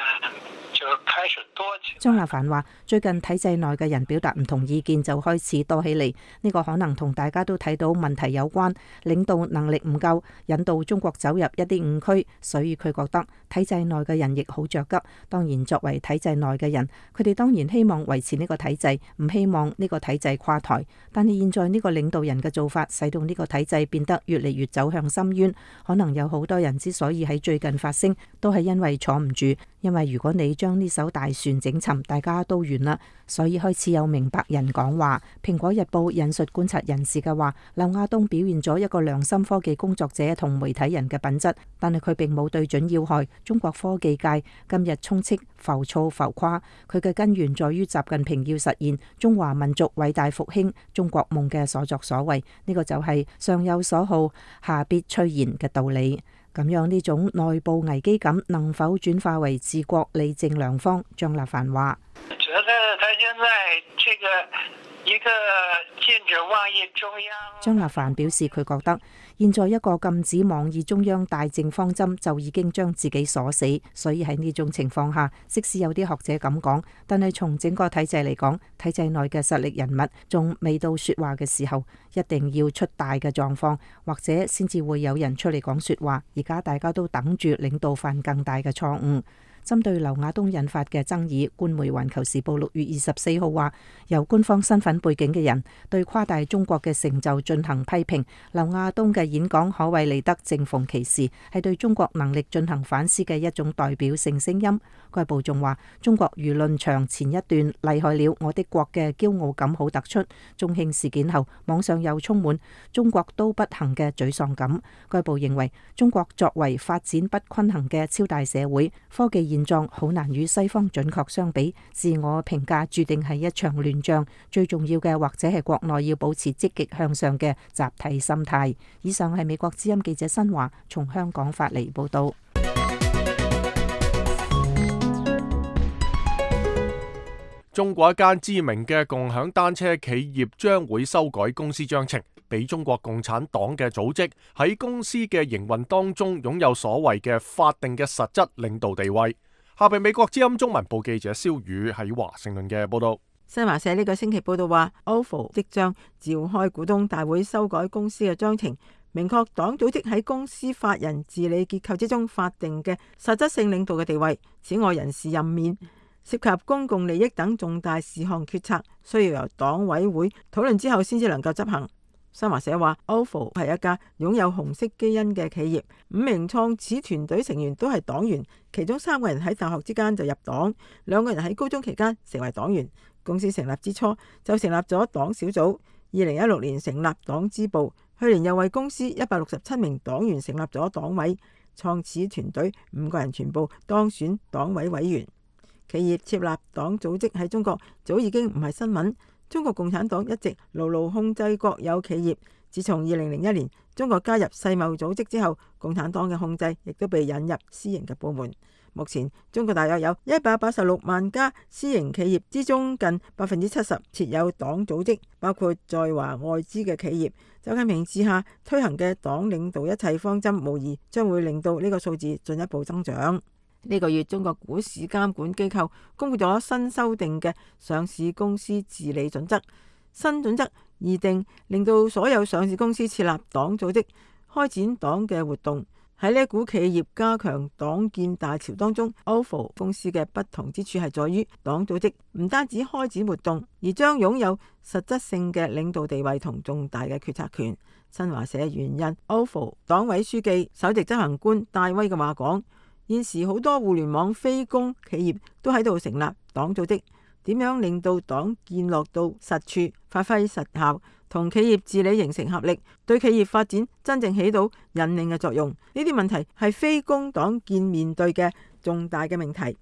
就開始多起來。張立凡話：最近體制內嘅人表達唔同意見就開始多起嚟，呢個可能同大家都睇到問題有關，領導能力唔夠，引導中國走入一啲誤區，所以佢覺得體制內嘅人亦好着急。當然，作為體制內嘅人，佢哋當然希望維持呢個體制，唔希望呢個體制垮台。但係現在呢個領導人嘅做法，使到呢個體制變得越嚟越走向深淵。可能有好多人之所以喺最近發聲，都係因為坐唔住，因為如果你將呢艘大船整沉，大家都完啦。所以開始有明白人講話。蘋果日報引述觀察人士嘅話，劉亞東表現咗一個良心科技工作者同媒體人嘅品質，但係佢並冇對準要害。中國科技界今日充斥浮躁浮誇，佢嘅根源在於習近平要實現中華民族偉大復興中國夢嘅所作所為，呢個就係上有所好，下必趨然嘅道理。咁樣呢種內部危機感能否轉化為治國理政良方？張立凡話：覺得他現在這個一個禁止妄議中央。張立凡表示，佢覺得現在一個禁止妄議中央大政方針就已經將自己鎖死，所以喺呢種情況下，即使有啲學者咁講，但係從整個體制嚟講，體制內嘅實力人物仲未到說話嘅時候，一定要出大嘅狀況，或者先至會有人出嚟講說話。而家大家都等住領導犯更大嘅錯誤。針對劉亞東引發嘅爭議，官媒《環球時報》六月二十四號話，由官方身份背景嘅人對誇大中國嘅成就進行批評。劉亞東嘅演講可謂嚟得正逢其時，係對中國能力進行反思嘅一種代表性聲音。該報仲話，中國輿論場前一段厲害了我的國嘅驕傲感好突出，中興事件後網上又充滿中國都不行嘅沮喪感。該報認為，中國作為發展不均衡嘅超大社會，科技現狀好難與西方準確相比，自我評價注定係一場亂仗。最重要嘅或者係國內要保持積極向上嘅集體心態。以上係美國之音記者新華從香港發嚟報道。中國一間知名嘅共享單車企業將會修改公司章程，俾中國共產黨嘅組織喺公司嘅營運當中擁有所謂嘅法定嘅實質領導地位。下邊美國之音中文部記者蕭宇喺華盛頓嘅報道。新華社呢個星期報道話 O F O 即將召開股東大會修改公司嘅章程，明確黨組織喺公司法人治理結構之中法定嘅實質性領導嘅地位。此外，人事任免涉及公共利益等重大事項決策，需要由黨委會討論之後先至能夠執行。新華社話 O F O 係一家擁有紅色基因嘅企業，五名創始團隊成員都係黨員，其中三個人喺大學之間就入黨，兩個人喺高中期間成為黨員。公司成立之初就成立咗黨小組，二零一六年成立黨支部，去年又為公司一百六十七名黨員成立咗黨委，創始團隊五個人全部當選黨委委員。企業設立黨組織喺中國早已經唔係新聞。中國共產黨一直牢牢控制國有企業，自從二零零一年中國加入世貿組織之後，共產黨嘅控制亦都被引入私營嘅部門。目前中國大約有一百八十六萬家私營企業之中，近百分之七十設有黨組織，包括在華外資嘅企業。習近平治下推行嘅黨領導一切方針，無疑將會令到呢個數字進一步增長。呢個月，中國股市監管機構公布咗新修訂嘅上市公司治理準則。新準則擬定，令到所有上市公司設立黨組織，開展黨嘅活動。喺呢股企業加強黨建大潮當中 O F O 公司嘅不同之處係在於，黨組織唔單止開展活動，而將擁有實質性嘅領導地位同重大嘅決策權。新華社援引 O F O 黨委書記、首席執行官戴威嘅話講，現時好多互聯網非公企業都喺度成立黨組織，點樣令到黨建落到實處，發揮實效，同企業治理形成合力，對企業發展真正起到引領嘅作用。呢啲問題係非公黨建面對嘅重大嘅命題。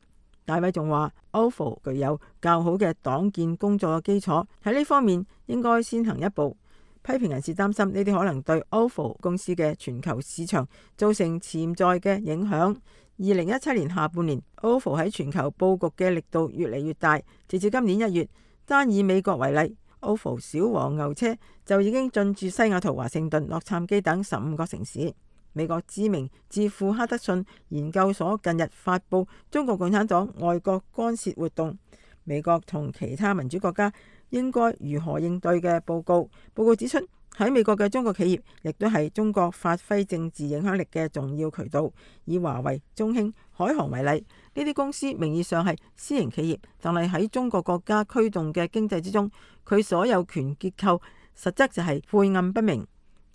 戴威仲話 O F O 具有較好嘅黨建工作嘅基礎，喺呢方面應該先行一步。批評人士擔心呢啲可能對 O F O 公司嘅全球市場造成潛在嘅影響。二零一七年下半年 O F O 喺全球佈局嘅力度越嚟越大，直至今年一月，單以美國為例， O F O 小黃牛車就已經進駐西雅圖、華盛頓、洛杉磯等十五個城市。美國知名智庫哈德遜研究所近日發布中國共產黨外國干涉活動，美國同其他民主國家應該如何應對嘅報告。報告指出，喺美國嘅中國企業亦都係中國發揮政治影響力嘅重要渠道。以華為、中興、海航為例，呢啲公司名義上係私營企業，但係喺中國國家驅動嘅經濟之中，佢所有權結構實質就係晦暗不明。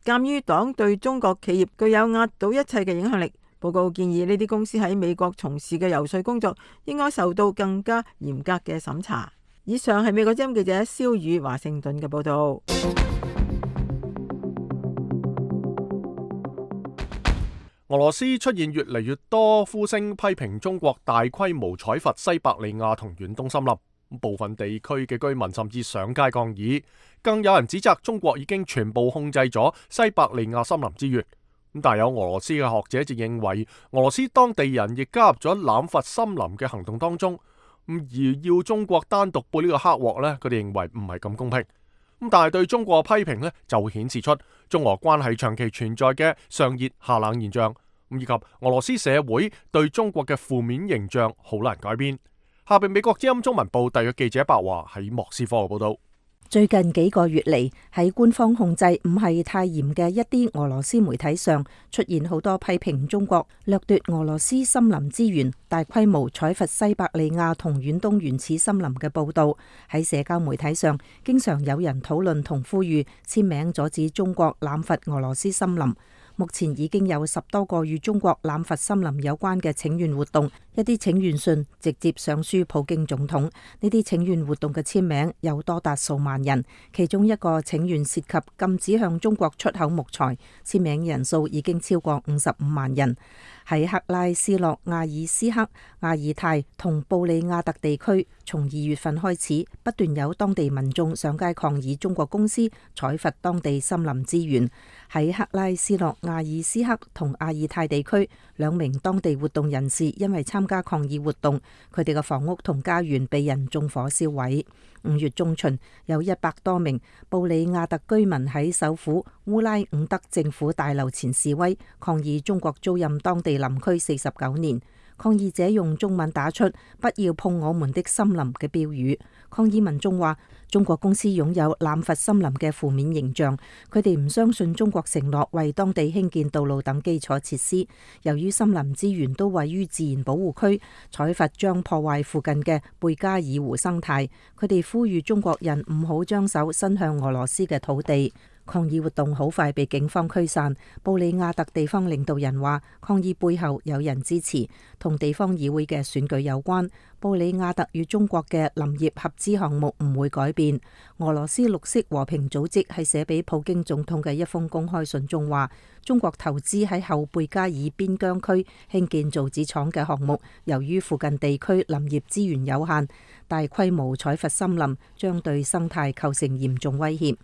鑑於黨對中國企業具有壓倒一切嘅影響力，報告建議呢啲公司喺美國從事嘅遊說工作應該受到更加嚴格嘅審查。以上係美國之音記者蕭宇華盛頓嘅報道。俄羅斯出現越嚟越多呼聲批評中國大規模採伐西伯利亞同遠東森林，部分地區嘅居民甚至上街抗議，更有人指責中國已經全部控制咗西伯利亞森林資源。但有俄羅斯嘅學者就認為，俄羅斯當地人亦加入咗濫伐森林嘅行動當中，而要中國單獨背呢個黑鑊呢，佢哋認為唔係咁公平。但係對中國嘅批評呢，就顯示出中俄關係長期存在嘅上熱下冷現象，以及俄羅斯社會對中國嘅負面形象好難改變。下邊美國之音中文部特約記者白華喺莫斯科嘅報道。最近幾個月嚟，喺官方控制唔係太嚴嘅一啲俄羅斯媒體上，出現好多批評中國掠奪俄羅斯森林資源、大規模採伐西伯利亞同遠東原始森林嘅報道。喺社交媒體上，經常有人討論同呼籲簽名阻止中國濫伐俄羅斯森林。目前已經有十多個與中國濫伐森林有關嘅請願活動，一啲請願信直接上書普京總統。呢啲請願活動嘅簽名有多達數萬人，其中一個請願涉及禁止向中國出口木材，簽名人數已經超過五十五萬人。喺克拉斯諾亞爾斯克、亞爾泰同布里亞特地區，從二月份開始，不斷有當地民眾上街抗議中國公司採伐當地森林資源。喺克拉斯諾亞爾斯克同亞爾泰地區，兩名當地活動人士因為參加抗議活動，佢哋嘅房屋同家園被人縱火燒毀。五月中旬，有一百多名布里亞特居民喺首府烏拉伍德政府大樓前示威，抗議中國租賃當地林區四十九年。抗議者用中文打出「不要碰我們的森林」嘅標語。抗議民眾話，中國公司擁有濫伐森林嘅負面形象，佢哋唔相信中國承諾為當地興建道路等基礎設施。由於森林資源都位於自然保護區，採伐將破壞附近嘅貝加爾湖生態。佢哋呼籲中國人唔好將手伸向俄羅斯嘅土地。抗議活動好快被警方驅散。布里亞特地方領導人話，抗議背後有人支持，同地方議會嘅選舉有關。布里亞特與中國嘅林業合資項目唔會改變。俄羅斯綠色和平組織係寫俾普京總統嘅一封公開信中話，中國投資喺後貝加爾邊疆區興建造紙廠嘅項目，由於附近地區林業資源有限，大規模採伐森林將對生態構成嚴重威脅。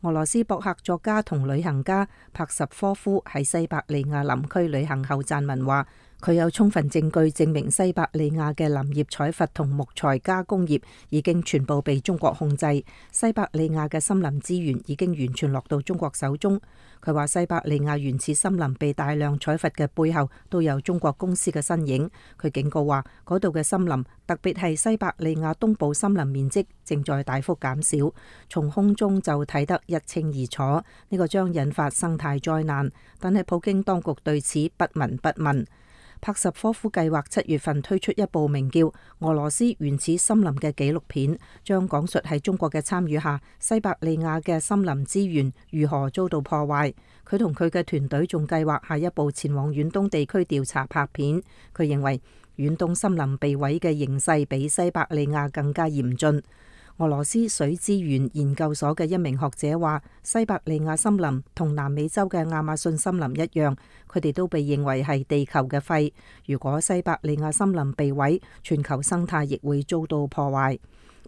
俄羅斯博客作家同旅行家帕什科夫喺西伯利亞林區旅行後撰文話，佢有充分證據證明西伯利亞嘅林業採伐同木材加工業已經全部被中國控制，西伯利亞嘅森林資源已經完全落到中國手中。佢話西伯利亞原始森林被大量採伐嘅背後都有中國公司嘅身影。佢警告話，嗰度嘅森林，特別係西伯利亞東部森林面積正在大幅減少，從空中就睇得一清二楚。呢個將引發生態災難，但係普京當局對此不聞不問。帕什科夫計劃七月份推出一部名叫《俄羅斯原始森林》嘅紀錄片，將講述喺中國嘅參與下，西伯利亞嘅森林資源如何遭到破壞。佢同佢嘅團隊仲計劃下一步前往遠東地區調查拍片。佢認為遠東森林被毀嘅形勢比西伯利亞更加嚴峻。俄羅斯水資源研究所嘅一名學者話，西伯利亞森林同南美洲嘅亞馬遜森林一樣，佢哋都被認為係地球嘅肺。如果西伯利亞森林被毀，全球生態亦會遭到破壞。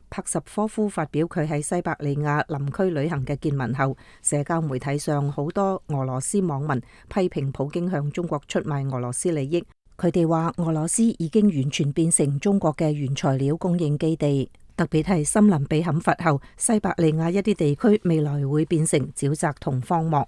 帕什科夫發表佢喺西伯利亞林區旅行嘅見聞後，社交媒體上好多俄羅斯網民批評普京向中國出賣俄羅斯利益。佢哋話俄羅斯已經完全變成中國嘅原材料供應基地。特別係森林被砍伐後，西伯利亞一啲地區未來會變成沼澤同荒漠。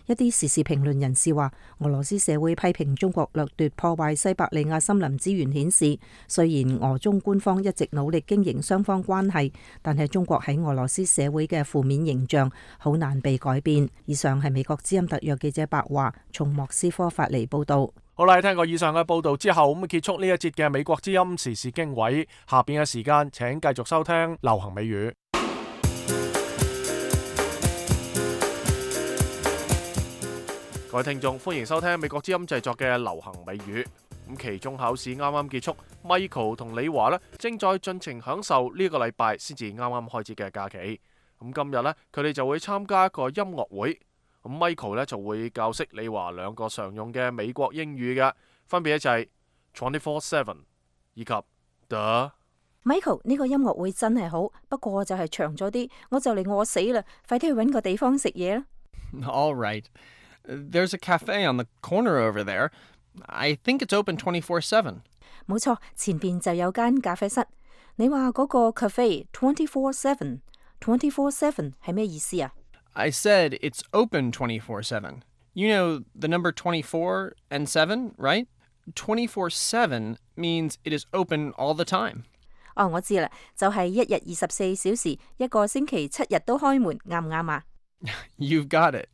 一啲時事評論人士話，俄羅斯社會批評中國掠奪破壞西伯利亞森林資源，顯示雖然俄中官方一直努力經營雙方關係，但係中國喺俄羅斯社會嘅負面形象好難被改變。以上係美國之音特約記者白華從莫斯科發嚟報道。好啦，聽過以上嘅報道之後，咁結束呢一節嘅美國之音時事經緯。下邊嘅時間，請繼續收聽流行美語。各位聽眾，歡迎收聽美國之音製作嘅流行美語。咁期中考試啱啱結束 ，Michael 同李華呢正在盡情享受呢個禮拜先至啱啱開始嘅假期。咁今日呢，佢哋就會參加一個音樂會。咁 Michael 呢就會教識李華兩個常用嘅美國英語嘅，分別就係 twenty-four seven 以及 the。Michael 呢個音樂會真係好，不過就係長咗啲，我就嚟餓死啦，快啲去揾個地方食嘢啦。All right. There's a cafe on the corner over there. I think it's open twenty-four seven. 冇錯，前邊就有間咖啡室。你話嗰個 cafe twenty-four seven，twenty-four seven 係咩意思啊？ I said it's open twenty-four seven. You know the number twenty-four and seven, right? twenty-four seven means it is open all the time. 哦，我知啦，就係一日二十四小時，一個星期七日都開門，啱唔啱啊？ You've got it.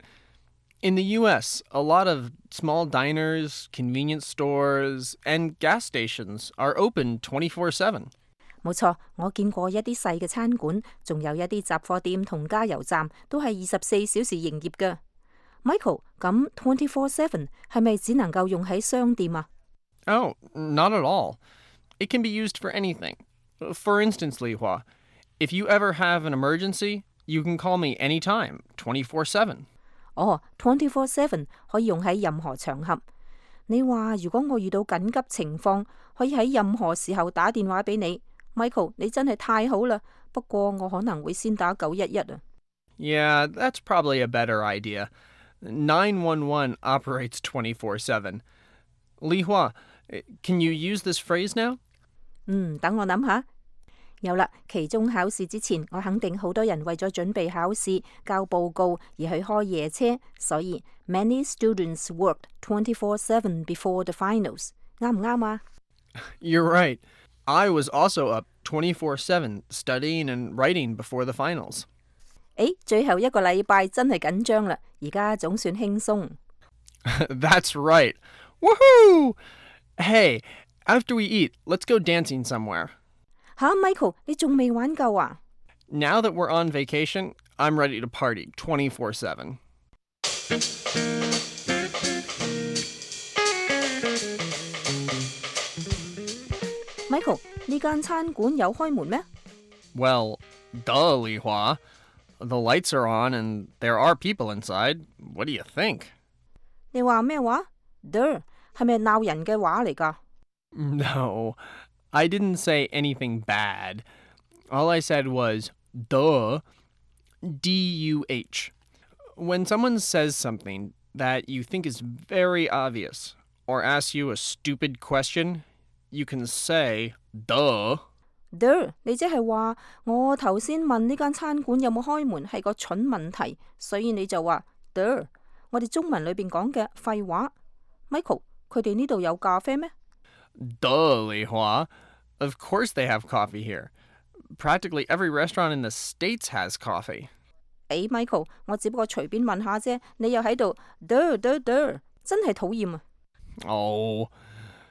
In the U S, a lot of small diners, convenience stores, and gas stations are open twenty-four seven. 冇錯，我見過一啲細嘅餐館，仲有一啲雜貨店同加油站都係二十四小時營業㗎。Michael，咁 twenty-four seven 係咪只能夠用喺商店啊？ Oh, not at all. It can be used for anything. For instance, Li Hua, if you ever have an emergency, you can call me anytime, twenty-four seven. 哦 ，twenty-four seven 可以用喺任何場合。你話如果我遇到緊急情況，可以喺任何時候打電話俾你。Michael，你真係太好啦。不過我可能會先打九一一啊。Yeah, that's probably a better idea. nine one one operates twenty-four seven. Li Hua, can you use this phrase now? 嗯，等我諗下。有啦，期中考試之前，我肯定好多人為咗準備考試、交報告而去開夜車，所以 many students worked twenty-four seven before the finals。啱唔啱啊？ You're right. I was also up twenty-four seven studying and writing before the finals. 誒，最後一個禮拜真係緊張啦，而家總算輕鬆。That's right. Woohoo! Hey, after we eat, let's go dancing somewhere. 吓 ，Michael， 你仲未玩夠啊？ Now that we're on vacation, I'm ready to party twenty-four seven. Michael， 呢間餐館有開門咩？ Well, duh, Li Hua. The lights are on and there are people inside. What do you think? 你話咩話 ？Der 係咪鬧人嘅話嚟㗎？ No, I didn't say anything bad. All I said was duh, D U H. When someone says something that you think is very obvious or asks you a stupid question, you can say duh. Der， 你即係話我頭先問呢間餐館有冇開門係個蠢問題，所以你就話 Der。我哋中文裏邊講嘅廢話。Michael， 佢哋呢度有咖啡咩？ Duh, Li Hua. Of course they have coffee here. Practically every restaurant in the States has coffee. 誒 ，Michael， 我只不過隨便問下啫，你又喺度 Der Der Der， 真係討厭啊！ Oh,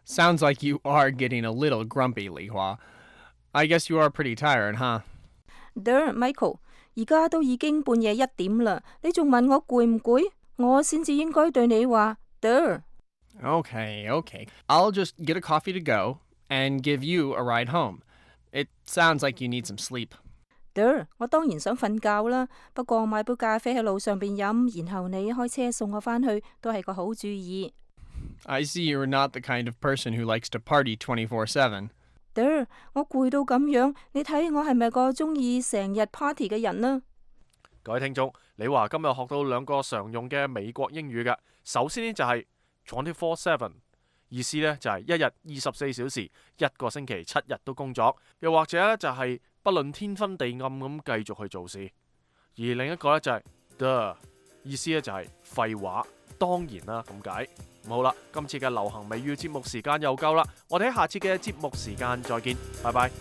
sounds like you are getting a little grumpy, Li Hua. I guess you are pretty tired, huh? Der, Michael， 而家都已經半夜一點啦，你仲問我攰唔攰？我先至應該對你話 Der。 Okay, okay. I'll just get a coffee to go and give you a ride home. It sounds like you need some sleep. Der， 我當然想瞓覺啦，不過買杯咖啡喺路上邊飲，然後你開車送我返去，都係個好主意。I see you're not the kind of person who likes to party twenty-four seven. Der， 我攰到咁樣，你睇我係咪個中意成日 party 嘅人呢？各位聽眾，你話今日學到兩個常用嘅美國英語嘅，首先呢就係 twenty-four seven， 意思呢就係一日二十四小時，一個星期七日都工作，又或者呢就係不論天昏地暗咁繼續去做事。而另一個呢就係 the， 意思呢就係廢話，當然啦咁解。好啦，今次嘅流行美語節目時間又夠啦，我哋喺下次嘅節目時間再見，拜拜。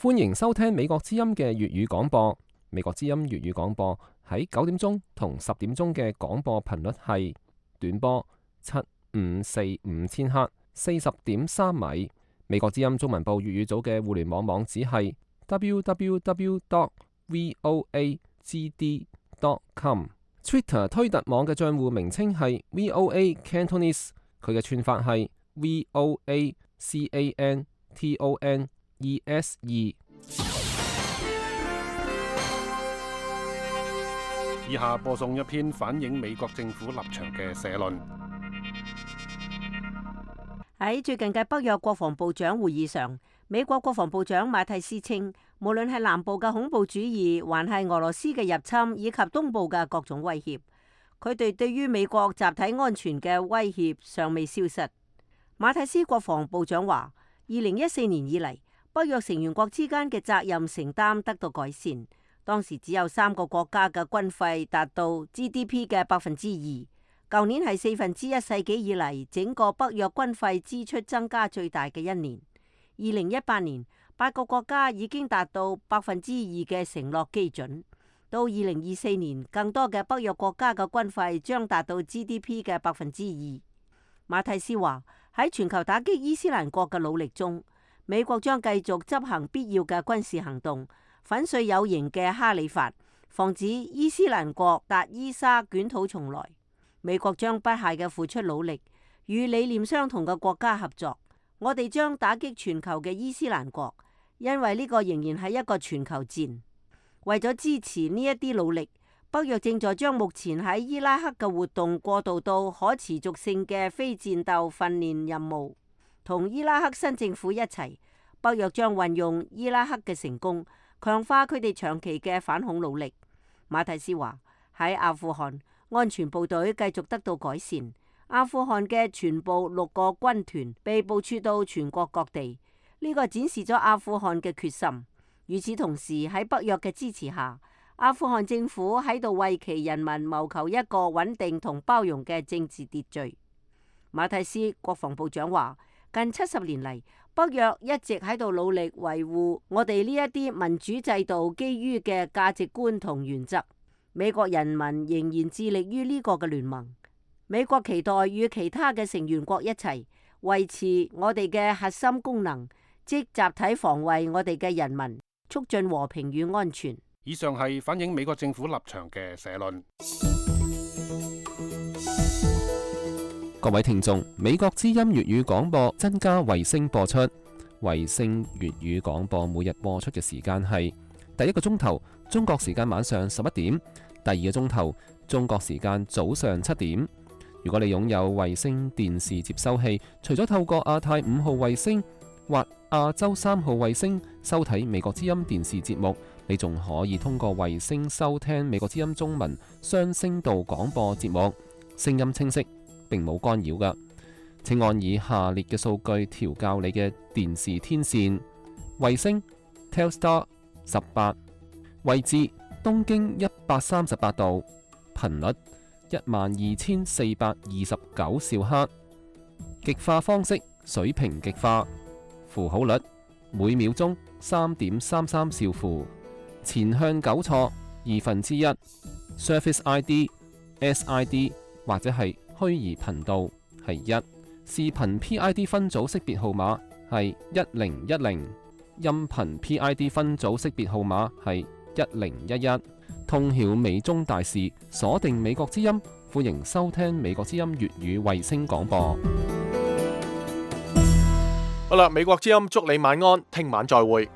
歡迎收聽美國之音嘅粵語廣播。美國之音粵語廣播喺九點鐘同十點鐘嘅廣播頻率係短波七五四五千克，四十點三米。美國之音中文部粵語組嘅互聯網網址係 w w w dot voa g d dot com。Twitter 推特網嘅賬戶名稱係 V O A Cantonese， 佢嘅串法係 V O A C A N T O N E S E。以下播送一篇反映美國政府立場嘅社論。喺最近嘅北約國防部長會議上，美國國防部長馬蒂斯稱，無論係南部嘅恐怖主義，還係俄羅斯嘅入侵，以及東部嘅各種威脅，佢哋對於美國集體安全嘅威脅尚未消失。馬蒂斯國防部長話，二零一四年以嚟，北約成員國之間嘅責任承擔得到改善。當時只有三個國家嘅軍費達到 G D P 嘅百分之二。舊年係四分之一世紀以嚟整個北約軍費支出增加最大嘅一年。二零一八年，八個國家已經達到百分之二嘅承諾基準。到二零二四年，更多嘅北約國家嘅軍費將達到 G D P 嘅百分之二。馬蒂斯話，喺全球打擊伊斯蘭國嘅努力中，美國將繼續執行必要嘅軍事行動，粉碎有形嘅哈里發，防止伊斯蘭國達伊沙捲土重來。美國將不懈嘅付出努力，與理念相同嘅國家合作。我哋將打擊全球嘅伊斯蘭國，因為呢個仍然係一個全球戰。為咗支持呢一啲努力，北約正在將目前喺伊拉克嘅活動過渡到可持續性嘅非戰鬥訓練任務。同伊拉克新政府一齊，北約將運用伊拉克嘅成功，強化佢哋長期嘅反恐努力。馬蒂斯話，喺阿富汗，安全部隊繼續得到改善。阿富汗嘅全部六個軍團被部署到全國各地，呢個展示咗阿富汗嘅決心。與此同時，喺北約嘅支持下，阿富汗政府喺度為其人民謀求一個穩定同包容嘅政治秩序。馬蒂斯國防部長話，近七十年嚟，北約一直喺度努力維護我哋呢一啲民主制度基於嘅價值觀同原則。美國人民仍然致力於呢個嘅聯盟。美國期待與其他嘅成員國一齊維持我哋嘅核心功能，即集體防衛我哋嘅人民，促進和平與安全。以上係反映美國政府立場嘅社論。各位聽眾，美國之音粵語廣播增加衛星播出，衛星粵語廣播每日播出嘅時間係第一個鐘頭中國時間晚上十一點，第二個鐘頭中國時間早上七點。如果你擁有衛星電視接收器，除咗透過亞太五號衛星或亞洲三號衛星收睇美國之音電視節目，你仲可以通過衛星收聽美國之音中文雙聲道廣播節目，聲音清晰，並冇干擾㗎。請按以下列嘅數據調校你嘅電視天線：衛星 Telstar 十八，位置東經一百三十八度，頻率一萬二千四百二十九兆赫，極化方式水平極化，符號率每秒鐘三點三三兆符，前向糾錯二分之一 ，Surface I D、S I D 或者係虛擬頻道係一，視頻 P I D 分組識別號碼係一零一零，音頻 P I D 分組識別號碼係一零一一。通曉美中大事，鎖定美國之音，歡迎收聽美國之音粵語衛星廣播。好啦，美國之音祝你晚安，聽晚再會。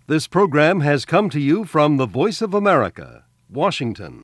This program has come to you from the Voice of America, Washington.